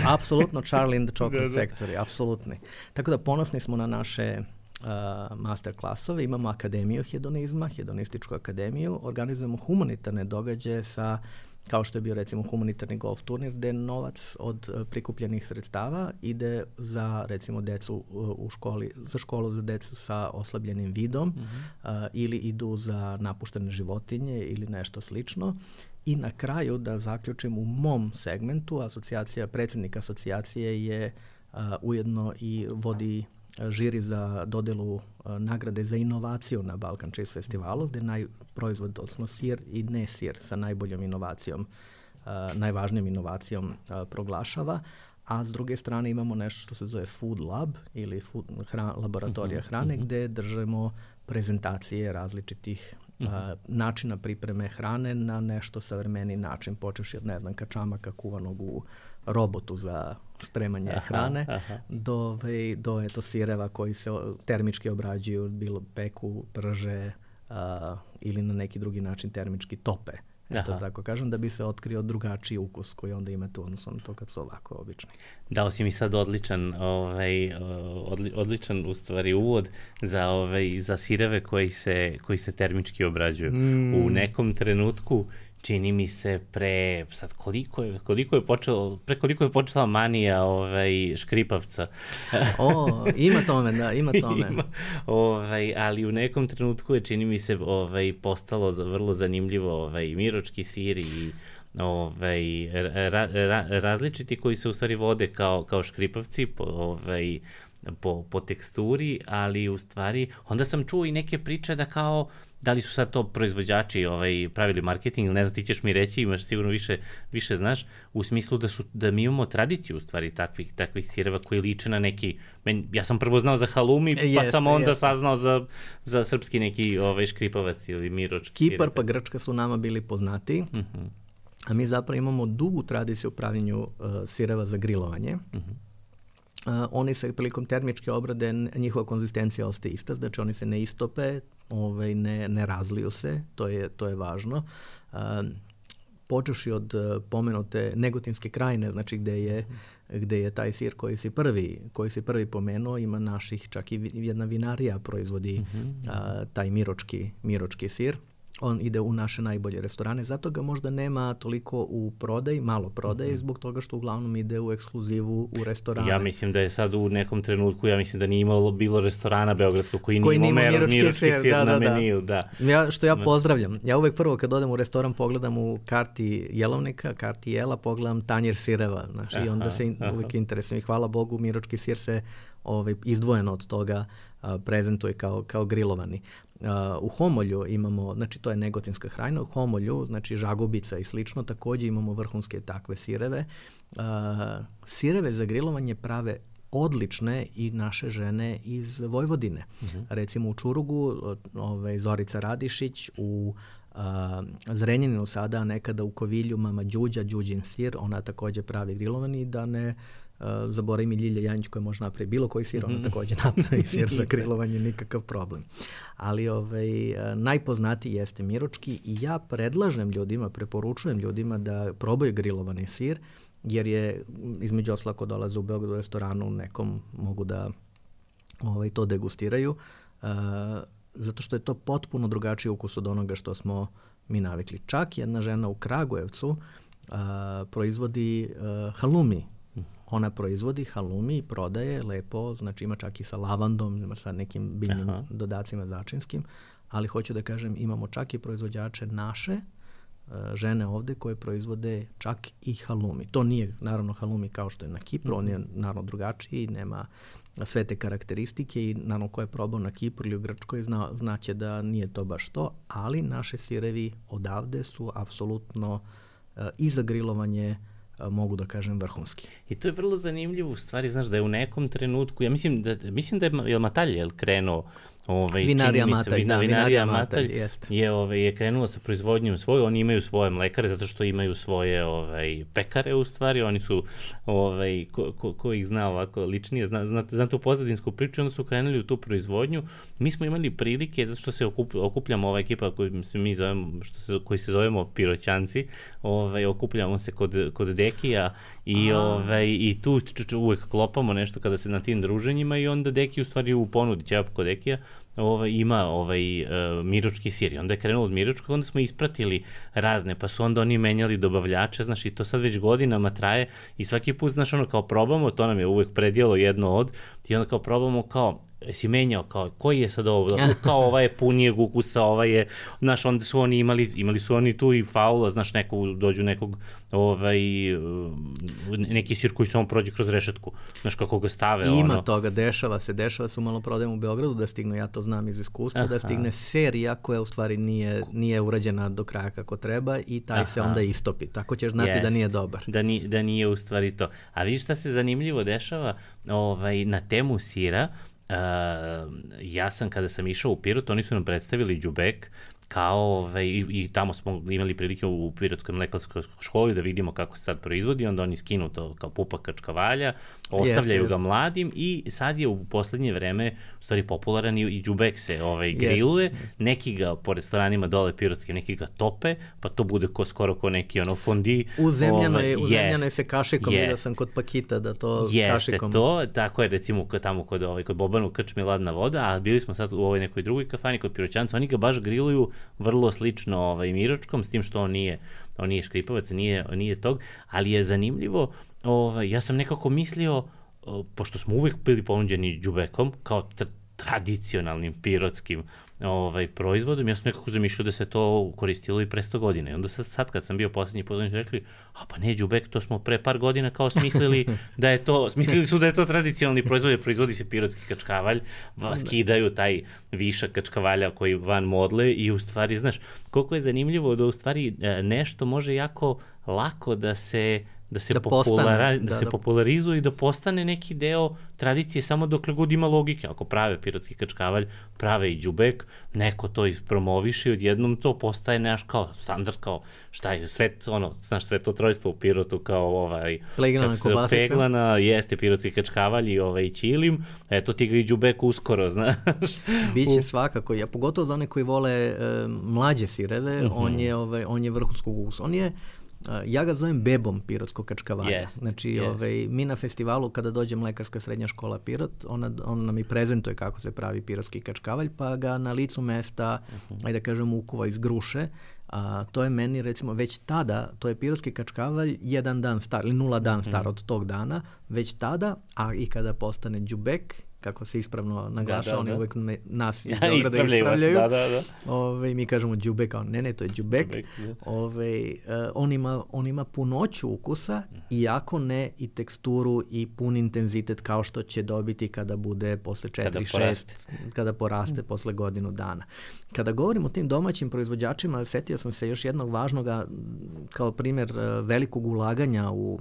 Apsolutno, Charlie and the Chocolate Factory, apsolutni. Tako da ponosni smo na naše uh, master klasove, imamo akademiju hedonizma, hedonističku akademiju, organizujemo humanitarne događaje sa, kao što je bio recimo humanitarni golf turnir, gde novac od uh, prikupljenih sredstava ide za recimo decu uh, u školi, za školu za decu sa oslabljenim vidom, mm-hmm. uh, ili idu za napuštene životinje ili nešto slično. I na kraju, da zaključim, u mom segmentu, asocijacija, predsjednik asocijacije je a, ujedno i vodi a, žiri za dodelu a, nagrade za inovaciju na Balkan Cheese Festivalu, gde naj proizvod, odnosno sir i ne sir sa najboljom inovacijom, a, najvažnijom inovacijom a, proglašava. A s druge strane imamo nešto što se zove Food Lab ili food, hra, laboratorija hrane, uh-huh. gde držimo prezentacije različitih uh-huh. a, načina pripreme hrane na nešto savremeni način, počevši od, ne znam, kačamaka kuvanog u robotu za spremanje aha, hrane, aha. do, do eto, sireva koji se termički obrađuju, bilo peku, prže a, ili na neki drugi način termički tope. Eto, tako kažem, da bi se otkrio drugačiji ukus koji onda imate u odnosu na to kad su ovako obični. Dao si mi sad odličan, ovaj, odli, odličan u stvari uvod za, ovaj, za sireve koji se, koji se termički obrađuju. Mm. U nekom trenutku čini mi se pre, sad koliko je, koliko je počelo, pre koliko je počela manija ovaj, škripavca. O, ima tome, da, ima tome. Ima, ovaj, ali u nekom trenutku je, čini mi se, ovaj, postalo vrlo zanimljivo ovaj, miročki sir i ovaj, ra, ra, različiti koji se u stvari vode kao, kao škripavci, po, ovaj, po, po teksturi, ali u stvari, onda sam čuo i neke priče da kao, da li su sad to proizvođači ovaj, pravili marketing, ne znam, ti ćeš mi reći, imaš sigurno više, više znaš, u smislu da, su, da mi imamo tradiciju u stvari takvih, takvih sireva koji liče na neki, men, ja sam prvo znao za halumi, pa jeste, sam onda jeste. saznao za, za srpski neki ovaj, škripavac ili miročki. Kipar pa Grčka su nama bili poznati, uh-huh. a mi zapravo imamo dugu tradiciju u pravljenju uh, sireva za grilovanje. Uh-huh. Uh, oni se prilikom termičke obrade, njihova konzistencija ostaje ista, znači oni se ne istope, ovaj, ne, ne razliju se, to je, to je važno. Uh, počevši od uh, pomenute Negotinske krajine, znači gde je, gde je taj sir koji si prvi, koji si prvi pomenuo, ima naših, čak i jedna vinarija proizvodi uh-huh. uh, taj miročki, miročki sir. On ide u naše najbolje restorane, zato ga možda nema toliko u prodaji, malo prodaje, mm-hmm. zbog toga što uglavnom ide u ekskluzivu u restorane. Ja mislim da je sad u nekom trenutku, ja mislim da nije imalo bilo restorana beogradskog koji, koji nije imao miročki, miročki sir, sir da, na da, meniju. Da. Ja, što ja pozdravljam. Ja uvek prvo kad odem u restoran pogledam u karti jelovnika, karti jela, pogledam tanjir sireva. Znaš, aha, i onda se in, uvek interesujem. I hvala Bogu, miročki sir se ovaj, izdvojeno od toga a, prezentuje kao, kao grilovani. Uh, u Homolju imamo, znači to je negotinska hrana, u Homolju, znači žagubica i slično, također imamo vrhunske takve sireve. Uh, sireve za grilovanje prave odlične i naše žene iz Vojvodine. Uh-huh. Recimo u Čurugu, ovaj, Zorica Radišić, u uh, Zrenjaninu sada, nekada u Kovilju, mama Đuđa, Đuđin sir, ona također pravi grilovani, da ne Uh, zaboravim i Ljilja Janjić koja može napraviti bilo koji sir, ona također napravi sir za grilovanje, nikakav problem. Ali ovaj, najpoznatiji jeste miručki i ja predlažem ljudima, preporučujem ljudima da probaju grilovani sir, jer je između ostalog ako dolaze u Beogradu u restoranu nekom mogu da ovaj, to degustiraju, uh, zato što je to potpuno drugačiji ukus od onoga što smo mi navikli. Čak jedna žena u Kragujevcu uh, proizvodi uh, halumi. Ona proizvodi halumi i prodaje lepo, znači ima čak i sa lavandom, ima sa nekim biljnim Aha. dodacima začinskim, ali hoću da kažem imamo čak i proizvođače naše uh, žene ovde koje proizvode čak i halumi. To nije naravno halumi kao što je na Kipru, mm-hmm. on je naravno drugačiji, nema sve te karakteristike i naravno ko je probao na Kipru ili u Grčkoj zna, znaće da nije to baš to, ali naše sirevi odavde su apsolutno uh, i za grilovanje mogu da kažem vrhunski. I to je vrlo zanimljivo u stvari, znaš da je u nekom trenutku, ja mislim da, mislim da je, je Matalj je krenuo Ovaj, vinarija Matalj, vina, da, vinarija Matalj je, ovaj, je krenula sa proizvodnjom svoju, oni imaju svoje mlekare zato što imaju svoje ovaj, pekare u stvari, oni su, ovaj, ko, ko, ko ih zna ovako ličnije, zna, zna, zna tu pozadinsku priču, onda su krenuli u tu proizvodnju. Mi smo imali prilike, zato što se okup, okupljamo ova ekipa koju se mi zovemo, što se, koji se zovemo Piroćanci, ovaj, okupljamo se kod, kod Dekija i, ovaj, i tu č, č, uvek klopamo nešto kada se na tim druženjima i onda Deki u stvari u ponudi ćevap kod Dekija Ovaj, ima ovaj uh, miručki sir i onda je krenulo od miručkog, onda smo ispratili razne, pa su onda oni menjali dobavljače, znaš, i to sad već godinama traje i svaki put, znaš, ono, kao probamo, to nam je uvek predjelo jedno od, i onda kao probamo, kao, si menjao, kao, koji je sad ovo, kao ovaj je punijeg ukusa, ovaj je, znaš, onda su oni imali, imali su oni tu i faula, znaš, neko, dođu nekog, ovaj, neki sir koji samo prođe kroz rešetku, znaš, kako ga stave, I ima ono. toga, dešava se, dešava se u maloprodajama u Beogradu da stignu, ja to znam iz iskustva, Aha. da stigne serija koja u stvari nije, nije urađena do kraja kako treba i taj Aha. se onda istopi, tako ćeš znati Jest. da nije dobar. Da, ni, da nije u stvari to. A vidiš šta se zanimljivo dešava ovaj, na temu sira. Uh, ja sam kada sam išao u Pirot, oni su nam predstavili đubek kao, ovaj, i, i tamo smo imali prilike u Pirotskoj mlekarskoj školi da vidimo kako se sad proizvodi, onda oni skinu to kao pupak kačkavalja, ostavljaju jeste, ga jeste. mladim i sad je u poslednje vreme u stvari popularan i, i đubek se ovaj, griluje, jeste, jeste. neki ga po restoranima dole pirotskim, neki ga tope, pa to bude ko, skoro ko neki ono fondi. U zemljanoj, ovaj, u zemljanoj se kašikom, vidio sam kod Pakita da to jeste kašikom. Jeste to, tako je recimo tamo kod, ovaj, kod Bobanu krčmi Ladna voda, a bili smo sad u ovoj nekoj drugoj kafani kod Piroćanca, oni ga baš griluju vrlo slično ovaj, miručkom, s tim što on nije, on nije škripavac, nije, nije tog, ali je zanimljivo, ovaj, ja sam nekako mislio, pošto smo uvek bili ponuđeni đubekom, kao tr- tradicionalnim pirotskim ovaj, proizvodom, ja sam nekako zamišljao da se to koristilo i pre sto godina. I onda sad, sad kad sam bio poslednji put, oni su rekli, a pa ne, đubek, to smo pre par godina kao smislili da je to, smislili su da je to tradicionalni proizvod, jer proizvodi se pirotski kačkavalj, skidaju taj višak kačkavalja koji van modle i u stvari, znaš, koliko je zanimljivo da u stvari nešto može jako lako da se da se, da populara, postane, da, da se da. popularizuje i da postane neki deo tradicije samo dokle god ima logike. Ako prave pirotski kačkavalj, prave i đubek, neko to ispromoviše i odjednom to postaje neš kao standard, kao šta je, sve, ono, znaš, sve to trojstvo u Pirotu kao ovaj... Peglana kobasica. Peglana, jeste pirotski kačkavalj i ovaj ćilim, eto ti ga i đubek uskoro, znaš. Biće svakako, ja pogotovo za one koji vole e, mlađe sireve, uh-huh. on je, ovaj, on je vrhunskog ukusa. On je Uh, ja ga zovem bebom pirotskog kačkavalja. Yes, znači, yes. ovaj, mi na festivalu, kada dođe Mlekarska srednja škola Pirot, ona, on nam i prezentuje kako se pravi pirotski kačkavalj, pa ga na licu mesta, uh-huh. ajde da kažem, ukuva iz gruše. A, to je meni, recimo, već tada, to je pirotski kačkavalj jedan dan star, ili nula dan star uh-huh. od tog dana, već tada, a i kada postane đubek, kako se ispravno naglaša, da, da, oni da. uvek me, nas iz Ja, Beograda ispravljaju. ispravljaju. Da, da, da. Ove, mi kažemo đubek, a on, ne, ne, to je đubek. Đubek, da. Ove, uh, on, ima, on ima punoću ukusa, iako ne i teksturu i pun intenzitet kao što će dobiti kada bude posle četiri šest, kada poraste posle godinu dana. Kada govorim o tim domaćim proizvođačima, setio sam se još jednog važnoga, kao primjer uh, velikog ulaganja u uh,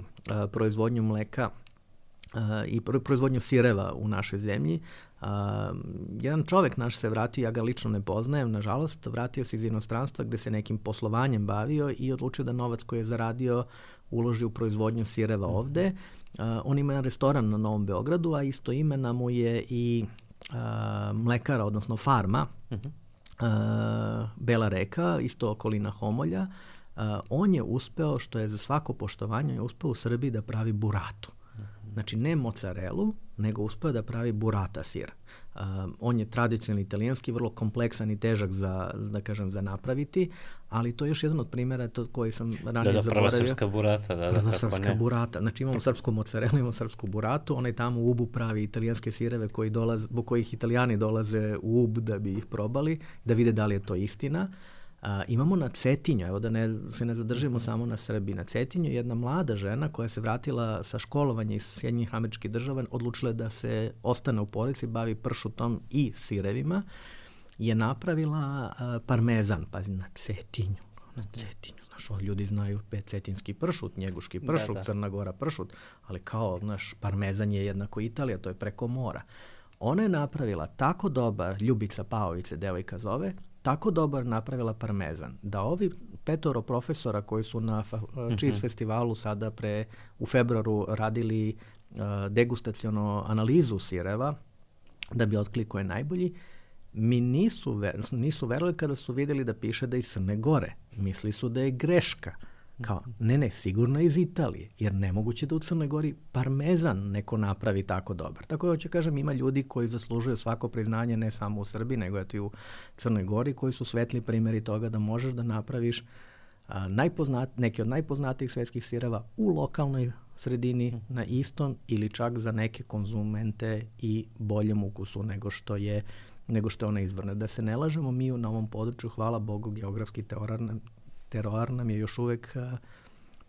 proizvodnju mleka uh, i proizvodnju sireva u našoj zemlji. Uh, jedan čovek naš se vratio, ja ga lično ne poznajem, nažalost, vratio se iz inostranstva gde se nekim poslovanjem bavio i odlučio da novac koji je zaradio uloži u proizvodnju sireva ovde. Uh, on ima jedan restoran na Novom Beogradu, a isto imena mu je i uh, mlekara, odnosno farma, uh-huh. uh, Bela Reka, isto okolina Homolja. Uh, on je uspeo, što je za svako poštovanje, je uspeo u Srbiji da pravi buratu. Znači, ne mozzarelu, nego uspeo da pravi burata sir. Uh, on je tradicionalni italijanski, vrlo kompleksan i težak za, da kažem, za napraviti, ali to je još jedan od primjera to koji sam ranije da, da, zaboravio. Prva srpska burata. Da, prva da, srpska ne. burata. Znači, imamo srpsku mozzarelu, imamo srpsku buratu, onaj tamo u Ubu pravi italijanske sireve koji dolaze, zbog kojih Italijani dolaze u Ub da bi ih probali, da vide da li je to istina. Uh, imamo na Cetinju, evo da ne, se ne zadržimo samo na Srbiji, na Cetinju jedna mlada žena koja se vratila sa školovanja iz Sjedinjenih Američkih Država, odlučila da se ostane u porodici, bavi pršutom i sirevima, je napravila uh, parmezan, pazi, na Cetinju, na Cetinju, znaš, ovo ljudi znaju cetinski pršut, njeguški pršut, da, da. Crna Gora pršut, ali kao, znaš, parmezan je jednako Italija, to je preko mora. Ona je napravila tako dobar, Ljubica Paović se devojka zove, tako dobar napravila parmezan, da ovi petoro profesora koji su na fa- Cheese festivalu sada pre, u februaru radili uh, degustaciono analizu sireva, da bi otkli ko je najbolji, mi nisu, ver, nisu verovali kada su vidjeli da piše da je iz Crne Gore. Misli su da je greška. Kao, ne, ne, sigurno iz Italije, jer nemoguće da u Crnoj Gori parmezan neko napravi tako dobar. Tako da hoću kažem, ima ljudi koji zaslužuju svako priznanje ne samo u Srbiji, nego i u Crnoj Gori, koji su svetli primjeri toga da možeš da napraviš a, najpoznat, neki od najpoznatijih svetskih sireva u lokalnoj sredini na istom ili čak za neke konzumente i boljem ukusu nego što je nego što je ona izvorna. Da se ne lažemo, mi na ovom području, hvala Bogu, geografski teorar teroar nam je još uvek uh,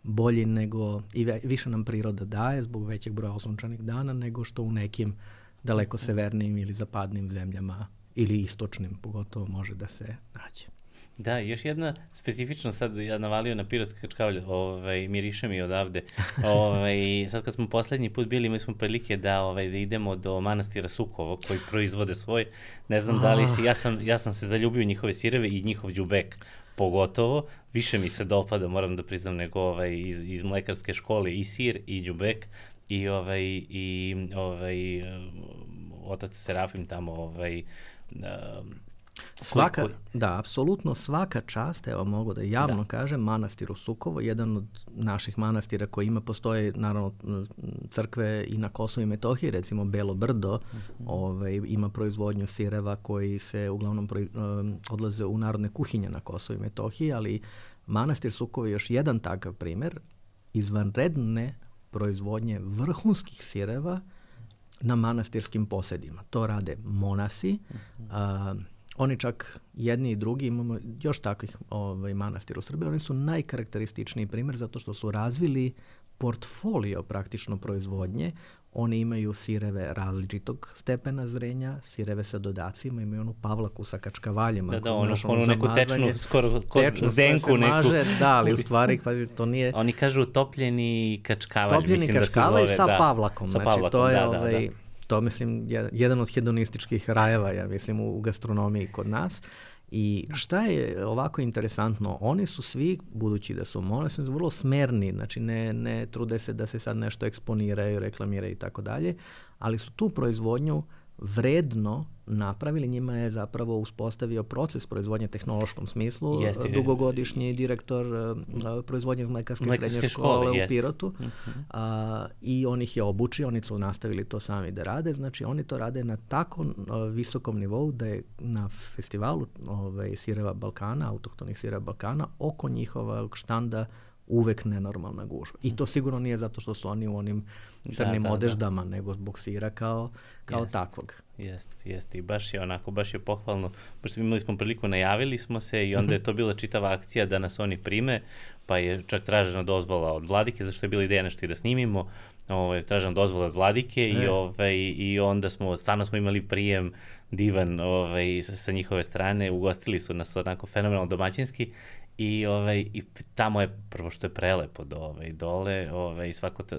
bolji nego, i ve, više nam priroda daje zbog većeg broja osunčanih dana nego što u nekim daleko severnijim ili zapadnim zemljama ili istočnim pogotovo može da se nađe. Da, još jedna specifična, sad ja navalio na pirotski kačkavalj, ovaj, miriše mi odavde. Ovaj, sad kad smo poslednji put bili, mi smo prilike da, ovaj, da idemo do manastira Sukovo koji proizvode svoj. Ne znam da li si, ja sam, ja sam se zaljubio njihove sireve i njihov đubek. Pogotovo, više mi se dopada, moram da priznam, nego ovaj, iz, iz mlekarske škole i sir i đubek i ovaj, i ovaj, otac Serafim tamo ovaj, um, Svaka, koji, koji... da, apsolutno svaka čast, evo mogu da javno da. kažem, manastir u Sukovo, jedan od naših manastira koji ima, postoje naravno crkve i na Kosovu i Metohiji, recimo Belo Brdo, mm-hmm. ovaj, ima proizvodnju sireva koji se uglavnom pro, um, odlaze u narodne kuhinje na Kosovu i Metohiji, ali manastir Sukovo je još jedan takav primjer izvanredne proizvodnje vrhunskih sireva na manastirskim posedima. To rade monasi, mm-hmm. a, oni čak jedni i drugi, imamo još takvih ovaj, manastira u Srbiji, oni su najkarakterističniji primjer zato što su razvili portfolio praktično proizvodnje. Oni imaju sireve različitog stepena zrenja, sireve sa dodacima, imaju onu pavlaku sa kačkavaljima. Da, da, ono, ono neku tečnu, skoro ko zdenku neku. Maže, da, ali u stvari to nije... Oni kažu topljeni kačkavalj, topljeni mislim kačkavalj da se zove. sa da, pavlakom. Sa znači, pavlakom, to je da, ovaj, da, da. To mislim je jedan od hedonističkih rajeva, ja mislim, u, u gastronomiji kod nas. I šta je ovako interesantno, oni su svi, budući da su oni su vrlo smerni, znači ne, ne trude se da se sad nešto eksponiraju, reklamiraju i tako dalje, ali su tu proizvodnju vredno napravili, njima je zapravo uspostavio proces proizvodnje u tehnološkom smislu, jeste, dugogodišnji direktor uh, proizvodnje iz mlekarske, mlekarske srednje škole, škole u Pirotu uh-huh. uh, i on ih je obučio, oni su nastavili to sami da rade, znači oni to rade na tako uh, visokom nivou da je na festivalu ovaj, sireva Balkana, autohtonih sireva Balkana, oko njihovog štanda uvek nenormalna gužva. I to sigurno nije zato što su oni u onim crnim da, da, odeždama, da. nego zbog sira kao, kao jest, takvog. Jeste, jeste. I baš je onako, baš je pohvalno. Pošto imali smo priliku, najavili smo se i onda je to bila čitava akcija da nas oni prime, pa je čak tražena dozvola od Vladike, zašto je bila ideja nešto i da snimimo. Ovaj, tražena dozvola od Vladike e. i, ovaj, i onda smo, stvarno smo imali prijem divan ovaj, sa, sa njihove strane, ugostili su nas onako fenomenalno domaćinski. I, ovaj, I tamo je prvo što je prelepo do, ovaj, dole, ovaj, svako ta,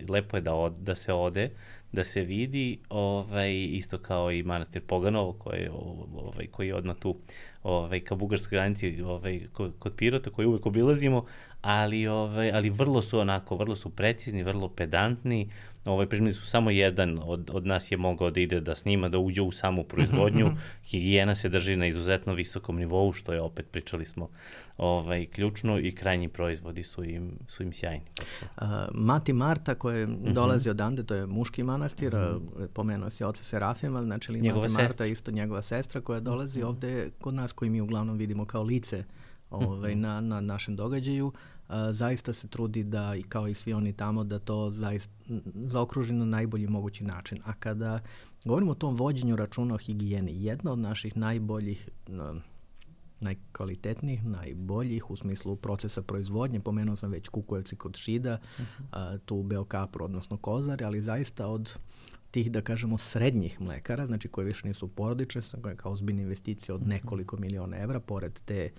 lepo je da, od, da se ode, da se vidi, ovaj, isto kao i manastir Poganovo koji, ovaj, koji je odmah tu ovaj, ka bugarskoj granici ovaj, kod, kod Pirota koji uvek obilazimo, ali, ovaj, ali vrlo su onako, vrlo su precizni, vrlo pedantni. Ovaj, primili su samo jedan od, od nas je mogao da ide da snima, da uđe u samu proizvodnju. Higijena se drži na izuzetno visokom nivou, što je opet, pričali smo, ovaj, ključno i krajnji proizvodi su im, su im sjajni. Uh, Mati Marta koji uh-huh. dolazi odande, to je muški manastir, uh-huh. pomenuo si oca Serafima, znači li Mati sestra. Marta isto njegova sestra koja dolazi uh-huh. ovde kod nas, koji mi uglavnom vidimo kao lice ovaj, uh-huh. na, na našem događaju. Uh, zaista se trudi da, i kao i svi oni tamo, da to zaista zaokruži na najbolji mogući način. A kada govorimo o tom vođenju računa o higijeni, jedna od naših najboljih, uh, najkvalitetnijih, najboljih u smislu procesa proizvodnje, pomenuo sam već Kukujevci kod Šida, uh-huh. uh, tu u Beokapru, odnosno Kozare, ali zaista od tih, da kažemo, srednjih mlekara, znači koje više nisu porodične, koje kao ozbiljne investicije od nekoliko miliona evra, pored te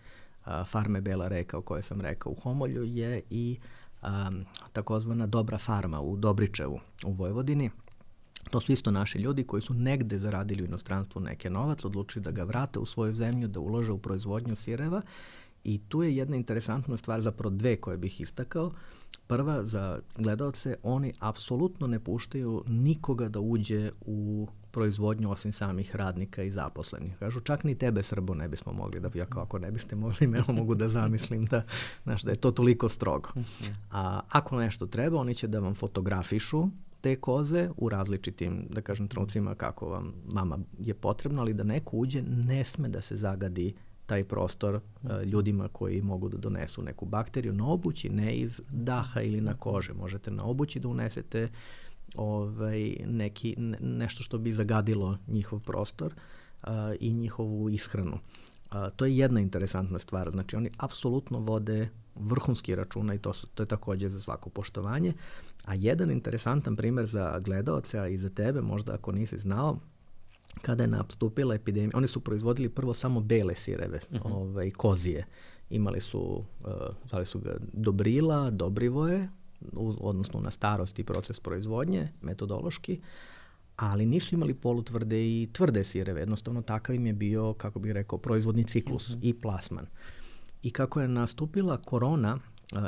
a, farme Bela Reka o kojoj sam rekao u Homolju, je i a, takozvana Dobra farma u Dobričevu u Vojvodini. To su isto naši ljudi koji su negde zaradili u inostranstvu neke novac, odlučili da ga vrate u svoju zemlju, da ulože u proizvodnju sireva. I tu je jedna interesantna stvar, zapravo dve koje bih istakao. Prva, za gledaoce, oni apsolutno ne puštaju nikoga da uđe u proizvodnju osim samih radnika i zaposlenih. Kažu, čak ni tebe, Srbo, ne bismo mogli da, ja kao ako ne biste mogli, ne mogu da zamislim da, znaš, da je to toliko strogo. A ako nešto treba, oni će da vam fotografišu te koze u različitim, da kažem, trenucima kako vam vama je potrebno, ali da neko uđe, ne sme da se zagadi taj prostor uh, ljudima koji mogu da donesu neku bakteriju na obući, ne iz daha ili na kože. Možete na obući da unesete ovaj, neki, ne, nešto što bi zagadilo njihov prostor uh, i njihovu ishranu. Uh, to je jedna interesantna stvar. Znači, oni apsolutno vode vrhunski računa i to, su, to je takođe za svako poštovanje. A jedan interesantan primer za gledaoce, a i za tebe, možda ako nisi znao, kada je nastupila epidemija, oni su proizvodili prvo samo bele sireve, uh-huh. ovaj, kozije. Imali su, uh, zvali su ga Dobrila, Dobrivoje, u, odnosno na starosti proces proizvodnje, metodološki, ali nisu imali polutvrde i tvrde sireve. Jednostavno takav im je bio, kako bih rekao, proizvodni ciklus uh-huh. i plasman. I kako je nastupila korona,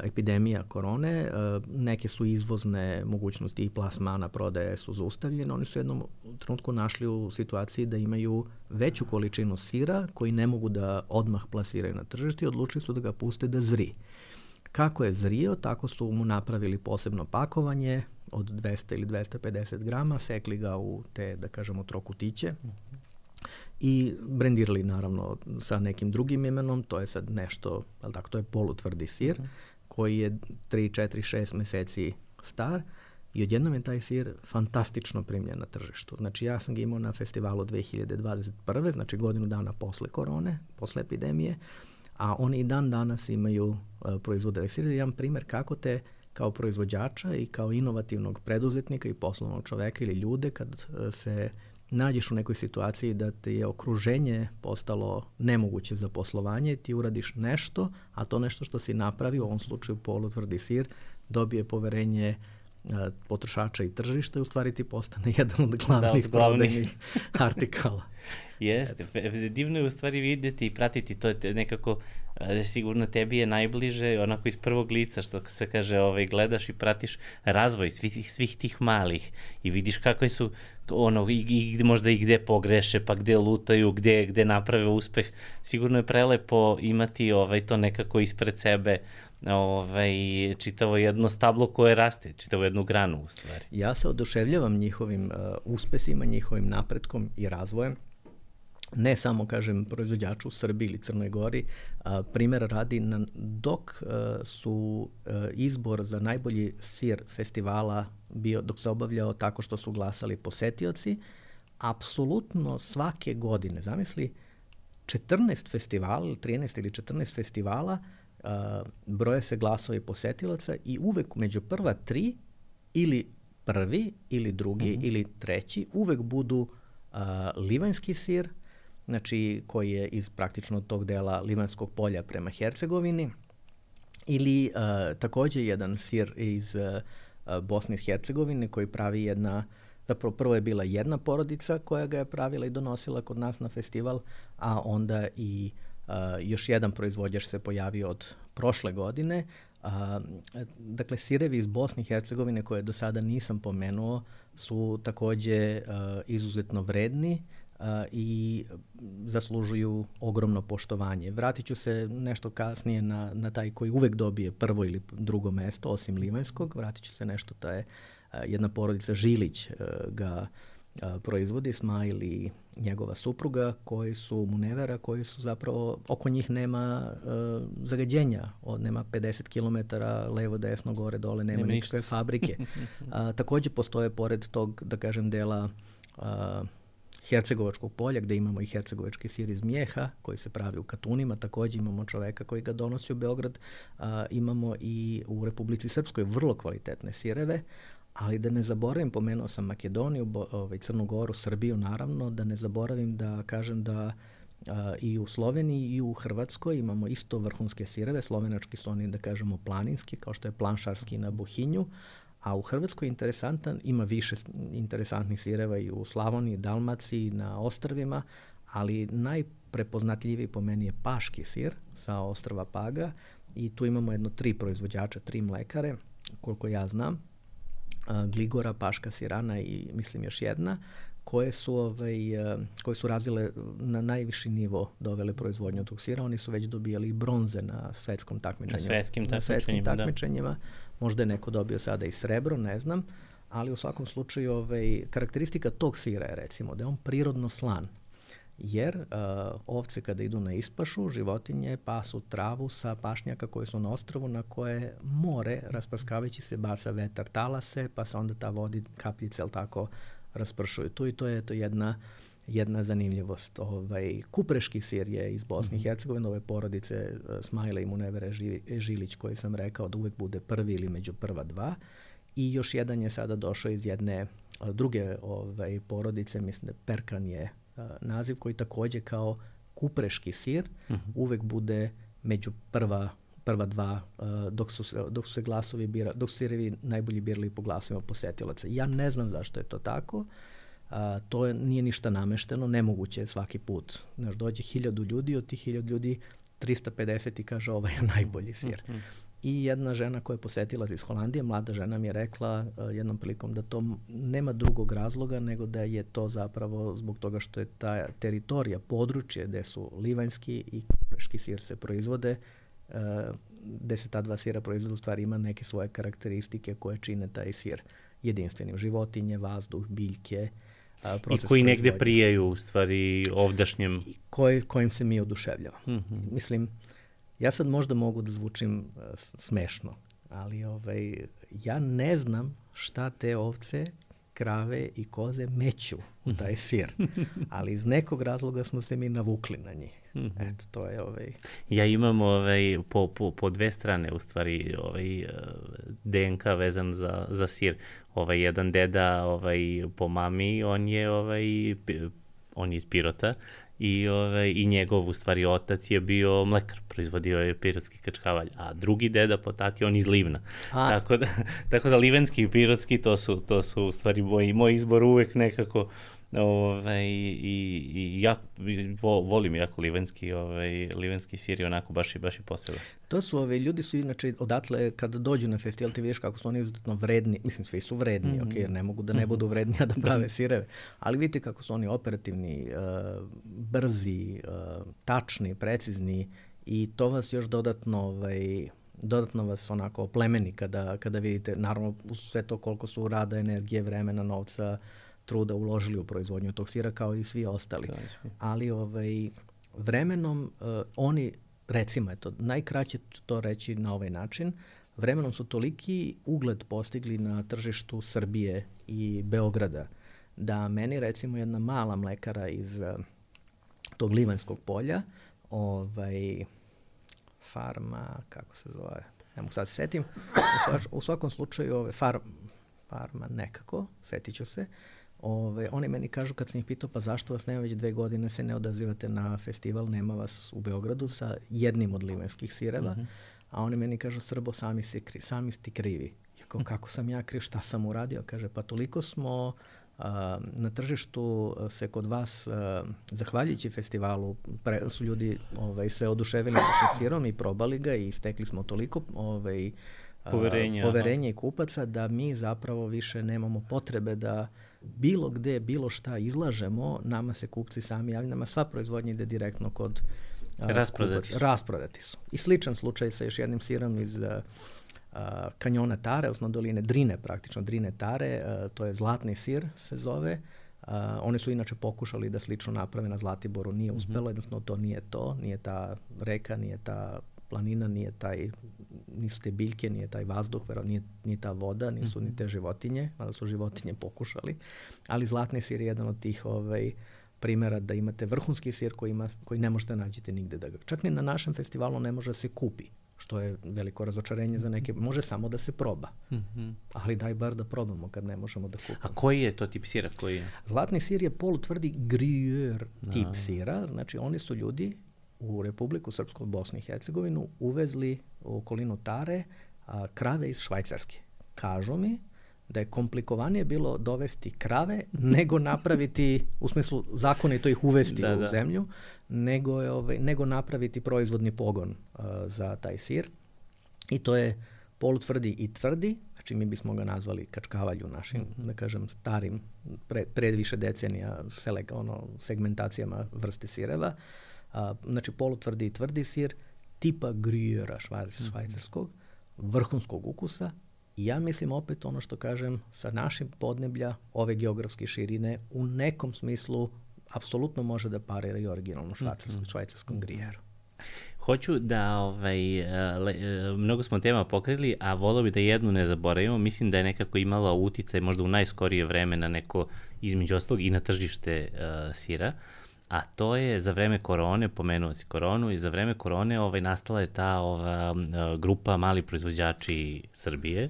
epidemija korone, neke su izvozne mogućnosti i plasmana prodaje su zaustavljene. Oni su u jednom trenutku našli u situaciji da imaju veću količinu sira koji ne mogu da odmah plasiraju na tržište i odlučili su da ga puste da zri. Kako je zrio, tako su mu napravili posebno pakovanje od dvesta ili dvesta pedeset grama, sekli ga u te, da kažemo, trokutiće i brendirali naravno sa nekim drugim imenom. To je sad nešto, ali tako, to je polutvrdi sir koji je tri, četiri, šest meseci star i odjednom je taj sir fantastično primljen na tržištu. Znači ja sam ga imao na festivalu dve hiljade dvadeset prve, znači godinu dana posle korone, posle epidemije, a oni i dan danas imaju uh, proizvode sir. Jedan primer kako te kao proizvođača i kao inovativnog preduzetnika i poslovnog čoveka ili ljude kad uh, se nađeš u nekoj situaciji da ti je okruženje postalo nemoguće za poslovanje, ti uradiš nešto, a to nešto što si napravio, u ovom slučaju polutvrdi sir, dobije poverenje uh, potrošača i tržišta i u stvari ti postane jedan od glavnih, da, prodajnih artikala. Jeste, divno je u stvari videti i pratiti, to je nekako, sigurno tebi je najbliže, onako iz prvog lica, što se kaže, ovaj, gledaš i pratiš razvoj svih, svih tih malih i vidiš kakve su, ono, i, i možda i gde pogreše, pa gde lutaju, gde, gde naprave uspeh. Sigurno je prelepo imati ovaj, to nekako ispred sebe, ovaj, čitavo jedno stablo koje raste, čitavo jednu granu u stvari. Ja se oduševljavam njihovim uh, uspesima, njihovim napretkom i razvojem. ne samo, kažem, proizvođaču u Srbiji ili Crnoj Gori, a, primjer radi na, dok a, su a, izbor za najbolji sir festivala bio, dok se obavljao tako što su glasali posetioci, apsolutno svake godine, zamisli, četrnaest festivala, trinaest ili četrnaest festivala, uh, broje se glasovi posetilaca i uvek među prva tri ili prvi ili drugi mm-hmm. ili treći uvek budu uh, livanjski sir, znači koji je iz praktično tog dela Livanjskog polja prema Hercegovini, ili uh, takođe jedan sir iz uh, Bosne i Hercegovine koji pravi jedna, zapravo prvo je bila jedna porodica koja ga je pravila i donosila kod nas na festival, a onda i uh, još jedan proizvođač se pojavio od prošle godine. Uh, dakle, sirevi iz Bosne i Hercegovine koje do sada nisam pomenuo su takođe uh, izuzetno vredni uh, i zaslužuju ogromno poštovanje. Vratit ću se nešto kasnije na, na taj koji uvek dobije prvo ili drugo mesto, osim livanjskog. Vratit ću se nešto, to je jedna porodica Žilić uh, ga uh, proizvodi, Smajl i njegova supruga, koji su munevera, koji su zapravo, oko njih nema uh, zagađenja, od, nema pedeset kilometara levo, desno, gore, dole, nema, nema nikakve fabrike. uh, takođe postoje pored tog, da kažem, dela uh, Hercegovačkog polja, gde imamo i hercegovački sir iz mjeha, koji se pravi u Katunima, takođe imamo čoveka koji ga donosi u Beograd, uh, imamo i u Republici Srpskoj vrlo kvalitetne sireve, ali da ne zaboravim, pomenuo sam Makedoniju, bo, ovaj, Crnu Goru, Srbiju naravno, da ne zaboravim da kažem da a, i u Sloveniji i u Hrvatskoj imamo isto vrhunske sireve. Slovenački su oni, da kažemo, planinski, kao što je planšarski na Buhinju, a u Hrvatskoj interesantan, ima više interesantnih sireva i u Slavoniji, Dalmaciji, na ostrvima, ali najprepoznatljiviji po meni je paški sir sa ostrva Paga i tu imamo jedno tri proizvođača, tri mlekare, koliko ja znam, Gligora, Paška, Sirana i mislim još jedna, koje su, ovaj, koje su razvile na najviši nivo, dovele proizvodnju tog sira. Oni su već dobijali i bronze na svetskom takmičenju. Na svetskim na svetskim takmičenjima, takmičenjima. Da. Možda je neko dobio sada i srebro, ne znam, ali u svakom slučaju ovaj, karakteristika tog sira je recimo da je on prirodno slan. Jer uh, ovce kada idu na ispašu, životinje pasu travu sa pašnjaka koje su na ostrvu na koje more, rasprskavajući se, baca vetar, talase, pa se onda ta vodi kapljice, ali tako, raspršuju. Tu i to je to jedna, jedna zanimljivost. Ovaj, kupreški sir je iz Bosne i Hercegovine, ove porodice uh, Smajla i Munevere Žilić, koji sam rekao da uvek bude prvi ili među prva dva. I još jedan je sada došao iz jedne uh, druge ovaj, porodice, mislim da Perkan je Uh, naziv, koji takođe kao kupreški sir uh-huh. uvek bude među prva, prva dva uh, dok, su, dok su se glasovi bira, dok su sirevi najbolji birali po glasovima posetilaca. Ja ne znam zašto je to tako. Uh, to je, nije ništa namešteno, nemoguće je svaki put. Znaš, dođe hiljadu ljudi, od tih hiljadu ljudi trista pedeset i kaže ovaj je najbolji sir. Uh-huh. I jedna žena koja je posetila iz Holandije, mlada žena mi je rekla uh, jednom prilikom da to nema drugog razloga nego da je to zapravo zbog toga što je ta teritorija, područje gde su livanjski i kupreški sir se proizvode, uh, gde se ta dva sira proizvode, u stvari ima neke svoje karakteristike koje čine taj sir jedinstvenim. Životinje, vazduh, biljke, uh, proces i koji negde proizvodnje. prijaju u stvari ovdašnjem. I koji, kojim se mi oduševljavamo. Mm-hmm. Mislim, ja sad možda mogu da zvučim uh, smešno, ali ovaj, ja ne znam šta te ovce, krave i koze meću u taj sir, ali iz nekog razloga smo se mi navukli na njih. Mm-hmm. Eto, to je ovaj... Ja imam ovaj, po, po, po dve strane u stvari ovaj, D N K vezan za, za sir. Ovaj, jedan deda ovaj, po mami, on je, ovaj, on je iz Pirota, I, ovaj, i njegov, u stvari, otac je bio mlekar, proizvodio je pirotski kačkavalj, a drugi deda po tati, on iz Livna. Tako da, tako da livenski i pirotski, to su, to su u stvari moj, moj izbor uvek nekako, ovaj, i, i ja vo, volim jako livenski, ovaj, livenski sir je onako baš i, baš i posebno. To su, ovaj, ljudi su inače odatle, kada dođu na festival, ti vidiš kako su oni izuzetno vredni, mislim, svi su vredni, mm-hmm. ok, jer ne mogu da ne budu vredni, a da prave sireve, ali vidite kako su oni operativni, uh, brzi, uh, tačni, precizni i to vas još dodatno, ovaj, dodatno vas onako oplemeni kada, kada vidite, naravno, uz sve to koliko su rada, energije, vremena, novca, truda uložili u proizvodnju tog sira kao i svi ostali. Ali ovaj, vremenom uh, oni, recimo, eto, najkraće to reći na ovaj način, vremenom su toliki ugled postigli na tržištu Srbije i Beograda, da meni recimo jedna mala mlekara iz uh, tog Livanjskog polja, ovaj, farma, kako se zove, ne mogu sad se setim, u, svač, u svakom slučaju ove, far, farma nekako, setit ću se, ove, oni meni kažu kad sam ih pitao pa zašto vas nema već dve godine se ne odazivate na festival, nema vas u Beogradu sa jednim od livanjskih sireva, mm-hmm. a oni meni kažu Srbo, sami si, kri, sami si krivi. Ja kao, kako sam ja kriv, šta sam uradio? Kaže, pa toliko smo Uh, na tržištu se kod vas, uh, zahvaljujući festivalu, pre, su ljudi ovaj, se oduševili našim sirom i probali ga i stekli smo toliko ovaj, poverenja, uh, poverenja i kupaca da mi zapravo više nemamo potrebe da bilo gde, bilo šta izlažemo, nama se kupci sami javljaju, nama sva proizvodnja ide direktno kod uh, rasprodati kupaca. Rasprodati su. I sličan slučaj sa još jednim sirom iz uh, Uh, kanjona Tare, odnosno doline Drine, praktično Drine Tare, uh, to je zlatni sir se zove. Uh, oni su inače pokušali da slično naprave na Zlatiboru, nije uspelo, mm-hmm. jednostavno to nije to, nije ta reka, nije ta planina, nije taj, nisu te biljke, nije taj vazduh, vero, nije, nije ta voda, nisu mm-hmm. ni te životinje, mada su životinje pokušali, ali zlatni sir je jedan od tih ovaj, primjera da imate vrhunski sir koji, ima, koji ne možete nađete nigde da ga, čak ni na našem festivalu ne može se kupi, što je veliko razočarenje za neke. Može samo da se proba. Mm-hmm. Ali daj bar da probamo kad ne možemo da kupimo. A koji je to tip sira? Koji je? Zlatni sir je polutvrdi Gruyère tip a. sira. Znači oni su ljudi u Republiku Srpsku, Bosnu i Hercegovinu uvezli u okolinu Tare a, krave iz Švajcarske. Kažu mi da je komplikovanije bilo dovesti krave nego napraviti, u smislu zakonito ih uvesti da, u da. zemlju, nego, je, ovaj, nego napraviti proizvodni pogon uh, za taj sir. I to je polutvrdi i tvrdi, znači mi bismo ga nazvali kačkavalju našim, mm-hmm. da kažem, starim, pre, pred više decenija selek, ono, segmentacijama vrste sireva. Uh, znači polutvrdi i tvrdi sir, tipa Gruyera švajcarskog, mm-hmm. vrhunskog ukusa. I ja mislim opet ono što kažem, sa našim podneblja ove geografske širine u nekom smislu apsolutno može da parira i originalno švajcarskom, mm-hmm. švajcarskom Gruyèru. Hoću da, ovaj, le, mnogo smo tema pokrili, a volio bi da jednu ne zaboravimo. Mislim da je nekako imala uticaj možda u najskorije vreme na neko, između ostalog, i na tržište uh, sira. A to je za vreme korone, pomenuo si koronu, i za vreme korone ovaj, nastala je ta ova, grupa mali proizvođači Srbije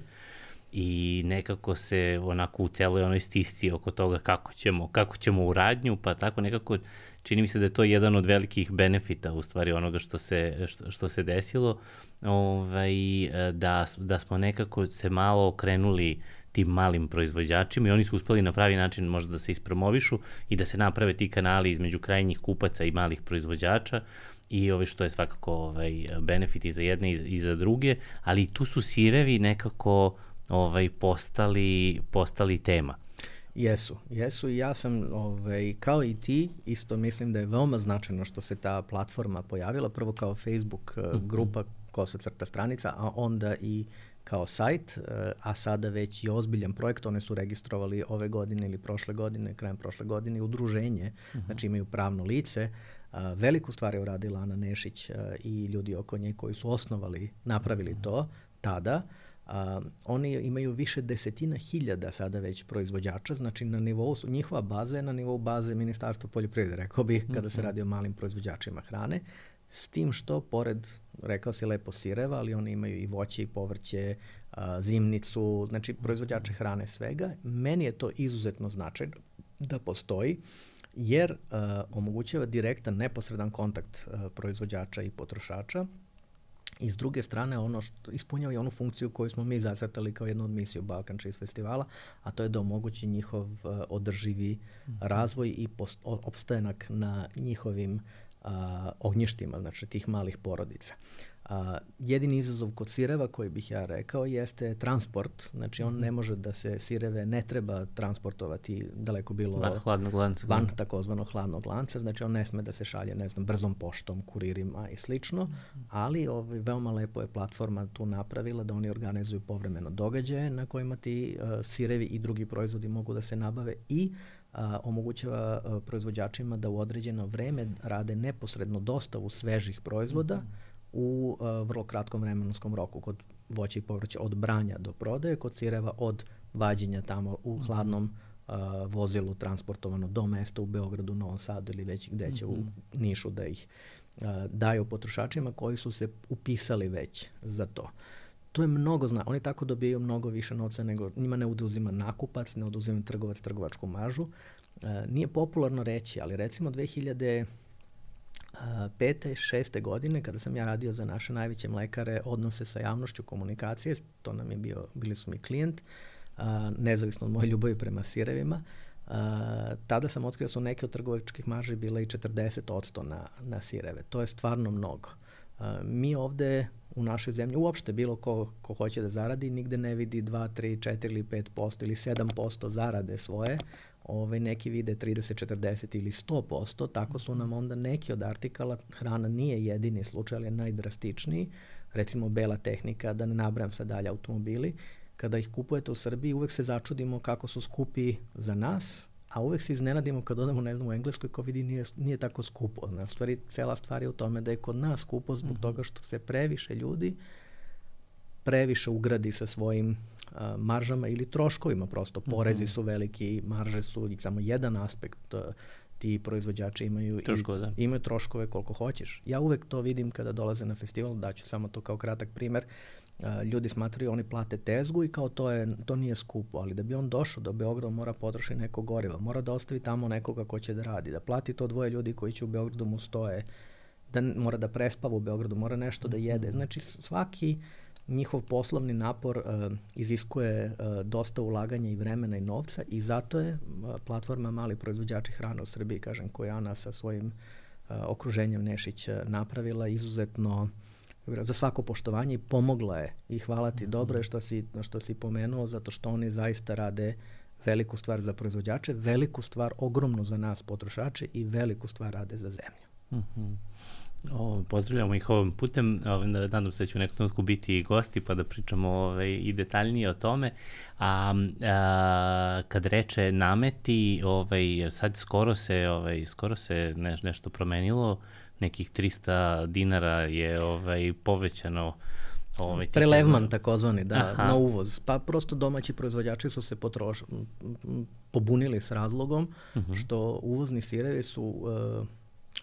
i nekako se onako u celoj onoj stisci oko toga kako ćemo, kako ćemo u radnju, pa tako nekako čini mi se da je to jedan od velikih benefita u stvari onoga što se, što, što se desilo, ovaj, da, da smo nekako se malo okrenuli tim malim proizvođačima i oni su uspeli na pravi način možda da se ispromovišu i da se naprave ti kanali između krajnjih kupaca i malih proizvođača i ovaj, što je svakako ovaj, benefit i za jedne i za, i za druge, ali tu su sirevi nekako ovaj, postali, postali tema. Jesu, jesu i ja sam ovaj, kao i ti isto mislim da je veoma značajno što se ta platforma pojavila, prvo kao Facebook mm-hmm. grupa kosa crta stranica, a onda i kao sajt, a sada već i ozbiljan projekt. One su registrovali ove godine ili prošle godine, krajem prošle godine, udruženje, uh-huh. znači imaju pravno lice. A, veliku stvar je uradila Ana Nešić a, i ljudi oko nje koji su osnovali, napravili uh-huh. to tada. A, oni imaju više desetina hiljada sada već proizvođača, znači na nivou, njihova baza je na nivou baze Ministarstva poljoprivrede, rekao bih, kada uh-huh. se radi o malim proizvođačima hrane. S tim što, pored, rekao si lepo sireva, ali oni imaju i voće i povrće, a, zimnicu, znači proizvođače hrane svega. Meni je to izuzetno značajno da postoji, jer a, omogućava direktan, neposredan kontakt a, proizvođača i potrošača. I s druge strane, ono što ispunjava i onu funkciju koju smo mi zacrtali kao jednu od misiju Balkan Cheese Festivala, a to je da omogući njihov uh, održivi mm-hmm. razvoj i post- opstanak na njihovim Uh, ognjištima, znači tih malih porodica. A, jedini izazov kod sireva koji bih ja rekao jeste transport. Znači on ne može da se sireve ne treba transportovati daleko bilo van hladnog lanca. Van takozvanog hladnog lanca. Znači on ne sme da se šalje, ne znam, brzom poštom, kuririma i slično. Ali ovaj, veoma lepo je platforma tu napravila da oni organizuju povremeno događaje na kojima ti uh, sirevi i drugi proizvodi mogu da se nabave i a, omogućava a, proizvođačima da u određeno vreme rade neposredno dostavu svežih proizvoda u a, vrlo kratkom vremenskom roku. Kod voća i povrća od branja do prodaje, kod sireva od vađenja tamo u hladnom a, vozilu transportovano do mesta u Beogradu, Novom Sadu ili već gde će u Nišu da ih a, daju potrošačima koji su se upisali već za to. To je mnogo zna. Oni tako dobijaju mnogo više novca nego njima ne oduzima nakupac, ne oduzima trgovac trgovačku maržu. E, nije popularno reći, ali recimo dve hiljade pete i šeste godine kada sam ja radio za naše najveće mlekare odnose sa javnošću komunikacije, to nam je bio, bili su mi klijent, a, nezavisno od moje ljubavi prema sirevima, a, tada sam otkrio da su neke od trgovačkih marži bile i četrdeset posto na, na sireve. To je stvarno mnogo. A, mi ovde u našoj zemlji, uopšte bilo ko, ko hoće da zaradi, nigde ne vidi dva, tri, četiri ili pet posto ili sedam posto zarade svoje. Ove, neki vide trideset, četrdeset ili sto posto, tako su nam onda neki od artikala, hrana nije jedini slučaj, ali je najdrastičniji, recimo bela tehnika, da ne nabrajam sad dalje automobili, kada ih kupujete u Srbiji uvek se začudimo kako su skupi za nas, a uvek se iznenadimo kad odemo, ne znam, u Engleskoj, ko vidi nije, nije tako skupo. U stvari, cela stvar je u tome da je kod nas skupo zbog toga što se previše ljudi previše ugradi sa svojim a, maržama ili troškovima prosto. Porezi su veliki, marže su samo jedan aspekt. Ti proizvođači imaju, Troškove, da. imaju troškove koliko hoćeš. Ja uvek to vidim kada dolaze na festival, daću samo to kao kratak primer. A, ljudi smatraju, oni plate tezgu i kao to, je, to nije skupo, ali da bi on došao do Beograda mora potrošiti neko goriva, mora da ostavi tamo nekoga ko će da radi, da plati to dvoje ljudi koji će u Beogradu mu stoje, da mora da prespava u Beogradu, mora nešto da jede. Znači svaki njihov poslovni napor uh, iziskuje uh, dosta ulaganja i vremena i novca i zato je uh, platforma Mali proizvođači hrane u Srbiji, kažem, koja Ana sa svojim uh, okruženjem Nešić uh, napravila izuzetno za svako poštovanje i pomogla je i hvala ti, dobro je što si, što si pomenuo, zato što oni zaista rade veliku stvar za proizvođače, veliku stvar ogromnu za nas potrošače i veliku stvar rade za zemlju. Mm-hmm. O, pozdravljamo ih ovim putem, o, nadam se da će u nekom trenutku biti i gosti pa da pričamo ove, i detaljnije o tome. A, a kad reče nameti, ovaj, sad skoro se, ovaj, skoro se ne, nešto promenilo, nekih trista dinara je ovaj, povećano. Ovaj, Prelevman takozvani, da, Aha. na uvoz. Pa prosto domaći proizvođači su se potroš, pobunili s razlogom uh-huh. što uvozni sirevi su... Uh,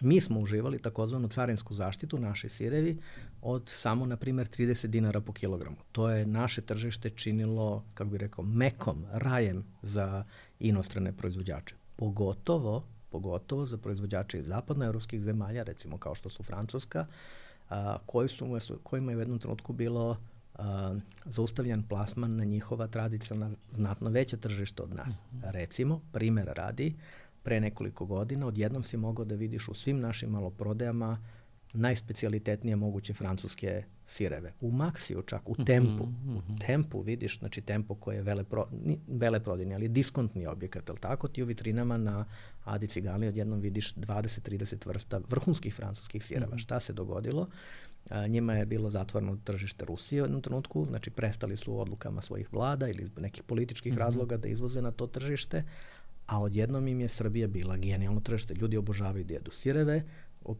mi smo uživali takozvanu carinsku zaštitu, naši sirevi, od samo, na primjer, trideset dinara po kilogramu. To je naše tržište činilo, kako bih rekao, mekom, rajem za inostrane proizvođače. Pogotovo, pogotovo za proizvođače iz zapadnoevropskih zemalja, recimo kao što su Francuska, a, koji su, kojima je u jednom trenutku bilo a, zaustavljan plasman na njihova tradicionalna, znatno veća tržišta od nas. Recimo, primjera radi, pre nekoliko godina odjednom si mogao da vidiš u svim našim maloprodajama najspecijalitetnije moguće francuske sireve. U Maxiju čak, u Tempu. Mm-hmm. U Tempu vidiš, znači Tempo koji je velepro, veleprodajni, ali diskontni objekat, ali tako ti u vitrinama na Adi Ciganli odjednom vidiš dvadeset do trideset vrsta vrhunskih francuskih sireva. Mm-hmm. Šta se dogodilo? A, njima je bilo zatvoreno tržište Rusije u jednom trenutku, znači prestali su odlukama svojih vlada ili nekih političkih mm-hmm. razloga da izvoze na to tržište, a odjednom im je Srbija bila genijalno tržište. Ljudi obožavaju da jedu sireve,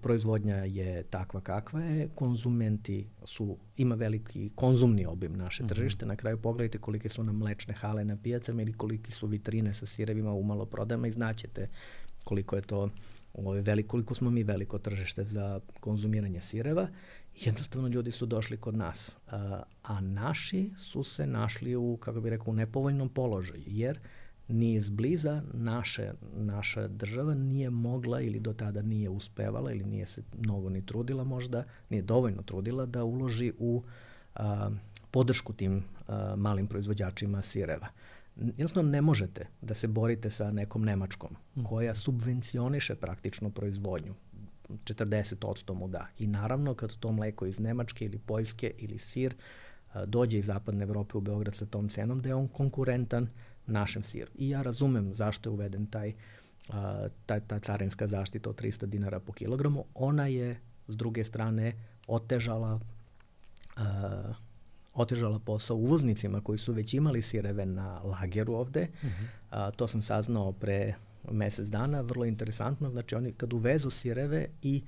proizvodnja je takva kakva je, konzumenti su, ima veliki konzumni obim naše tržište, mm-hmm. na kraju pogledajte kolike su nam mlečne hale na pijacama ili koliki su vitrine sa sirevima u maloprodajama i znaćete koliko je to, ovaj, veliko, koliko smo mi veliko tržište za konzumiranje sireva. Jednostavno ljudi su došli kod nas, a, a naši su se našli u, kako bih rekao, u nepovoljnom položaju, jer ni izbliza naše, naša država nije mogla ili do tada nije uspevala ili nije se mnogo ni trudila možda, nije dovoljno trudila da uloži u a, podršku tim a, malim proizvođačima sireva. Jednostavno ne možete da se borite sa nekom Nemačkom koja subvencioniše praktično proizvodnju. četrdeset posto mu da. I naravno kad to mleko iz Nemačke ili Poljske ili sir a, dođe iz zapadne Evrope u Beograd sa tom cenom, da je on konkurentan našem siru. I ja razumem zašto je uveden taj, a, ta, ta carinska zaštita od trista dinara po kilogramu. Ona je s druge strane otežala a, otežala posao uvoznicima koji su već imali sireve na lageru ovde. Uh-huh. A, to sam saznao pre mesec dana, vrlo interesantno. Znači oni kad uvezu sireve i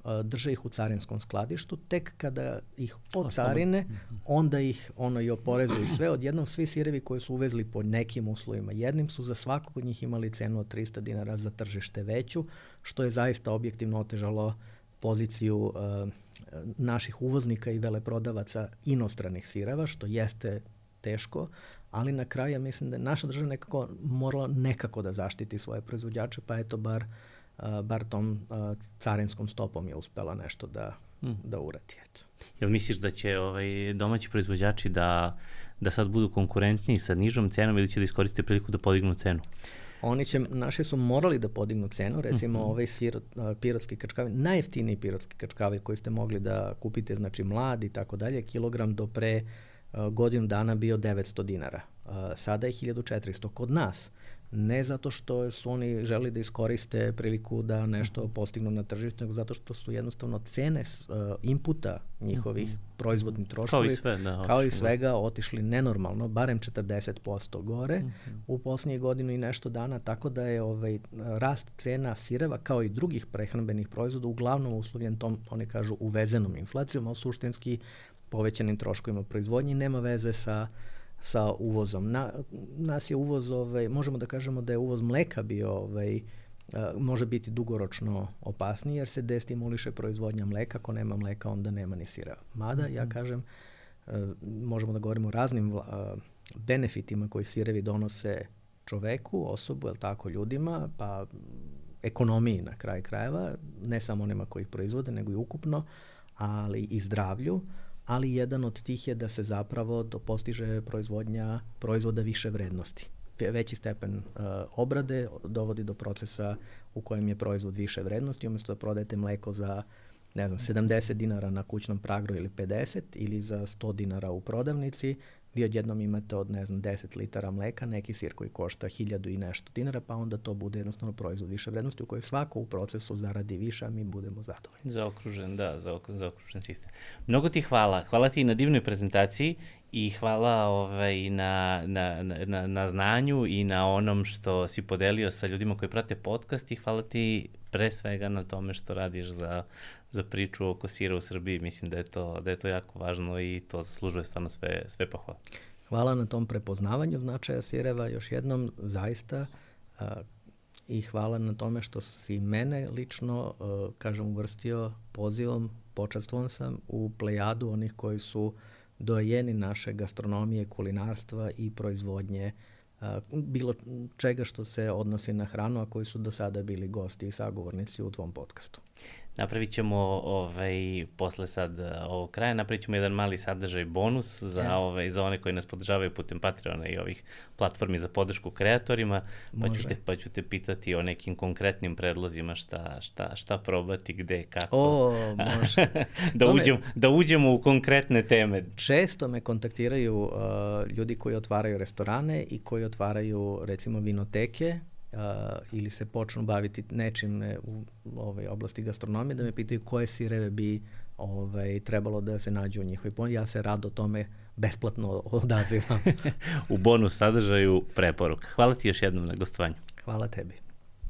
a, drže ih u carinskom skladištu, tek kada ih ocarine, onda ih ono i oporezuju sve. Odjednom svi sirevi koji su uvezli po nekim uslovima, jednim su za svakog od njih imali cenu od trista dinara za tržište veću, što je zaista objektivno otežalo poziciju uh, naših uvoznika i veleprodavaca inostranih sireva, što jeste teško, ali na kraju ja mislim da je naša država nekako morala nekako da zaštiti svoje proizvođače, pa eto bar, uh, bar tom uh, carinskom stopom je uspela nešto da, mm. da uradi. Eto. Jel misliš da će ovaj, domaći proizvođači da, da sad budu konkurentniji sa nižom cenom ili će da iskoriste priliku da podignu cenu? Oni će, naši su morali da podignu cenu, recimo mm-hmm. ovaj sir, pirotski kačkavin, najjeftiniji pirotski kačkavin koji ste mogli da kupite, znači mlad i tako dalje, kilogram do pre uh, godinu dana bio devetsto dinara. Uh, sada je hiljadu četiristo kod nas. Ne zato što su oni želi da iskoriste priliku da nešto postignu na tržištu, nego zato što su jednostavno cene uh, inputa njihovih mm-hmm. proizvodnih troškovi, kao i, sve, da, kao i svega, otišli nenormalno, barem četrdeset posto gore mm-hmm. u poslednjih godinu i nešto dana, tako da je ovaj rast cena sireva kao i drugih prehrambenih proizvoda uglavnom uslovljen tom, oni kažu, uvezenom inflacijom, a suštinski povećanim troškovima proizvodnje, nema veze sa sa uvozom. Na, nas je uvoz, ovaj, možemo da kažemo da je uvoz mleka bio, ovaj, a, može biti dugoročno opasniji jer se destimuliše proizvodnja mleka. Ako nema mleka, onda nema ni sira. Mada, ja kažem, a, možemo da govorimo o raznim a, benefitima koji sirevi donose čoveku, osobu, jel tako, ljudima, pa ekonomiji na kraj krajeva, ne samo onima koji ih proizvode, nego i ukupno, ali i zdravlju. Ali jedan od tih je da se zapravo do postiže proizvodnja proizvoda više vrednosti. Veći stepen uh, obrade dovodi do procesa u kojem je proizvod više vrednosti. Umjesto da prodajete mleko za, ne znam, sedamdeset dinara na kućnom pragu ili pedeset ili za sto dinara u prodavnici, vi odjednom imate od, ne znam, deset litara mleka, neki sir koji košta hiljadu i nešto dinara, pa onda to bude jednostavno proizvod više vrednosti u kojoj svako u procesu zaradi više, a mi budemo zadovoljni. Zaokružen, da, zaokružen sistem. Mnogo ti hvala. Hvala ti na divnoj prezentaciji i hvala ovaj, na, na, na, na znanju i na onom što si podelio sa ljudima koji prate podcast i hvala ti pre svega na tome što radiš za, za priču oko sira u Srbiji. Mislim da je to, da je to jako važno i to zaslužuje stvarno sve, sve pohvale. Hvala na tom prepoznavanju značaja sireva još jednom, zaista, a, i hvala na tome što si mene lično, a, kažem, uvrstio pozivom, počastvovan sam u plejadu onih koji su dojeni naše gastronomije, kulinarstva i proizvodnje a, bilo čega što se odnosi na hranu, a koji su do sada bili gosti i sagovornici u tvom podcastu. Napravit ćemo ovaj, posle sad ovog kraja, napravit ćemo jedan mali sadržaj bonus za, ja. ovaj, za one koji nas podržavaju putem Patreona i ovih platformi za podršku kreatorima, pa ću, te, pa ću te pitati o nekim konkretnim predlozima šta, šta, šta probati, gde, kako. O, može. da, uđem, da uđemo u konkretne teme. Često me kontaktiraju uh, ljudi koji otvaraju restorane i koji otvaraju, recimo, vinoteke, Uh, ili se počnu baviti nečim u ovaj, oblasti gastronomije, da me pitaju koje sireve bi ovaj, trebalo da se nađu u njihovoj ponudi. Ja se rado tome besplatno odazivam. U bonus sadržaju preporuka. Hvala ti još jednom na gostovanju. Hvala tebi.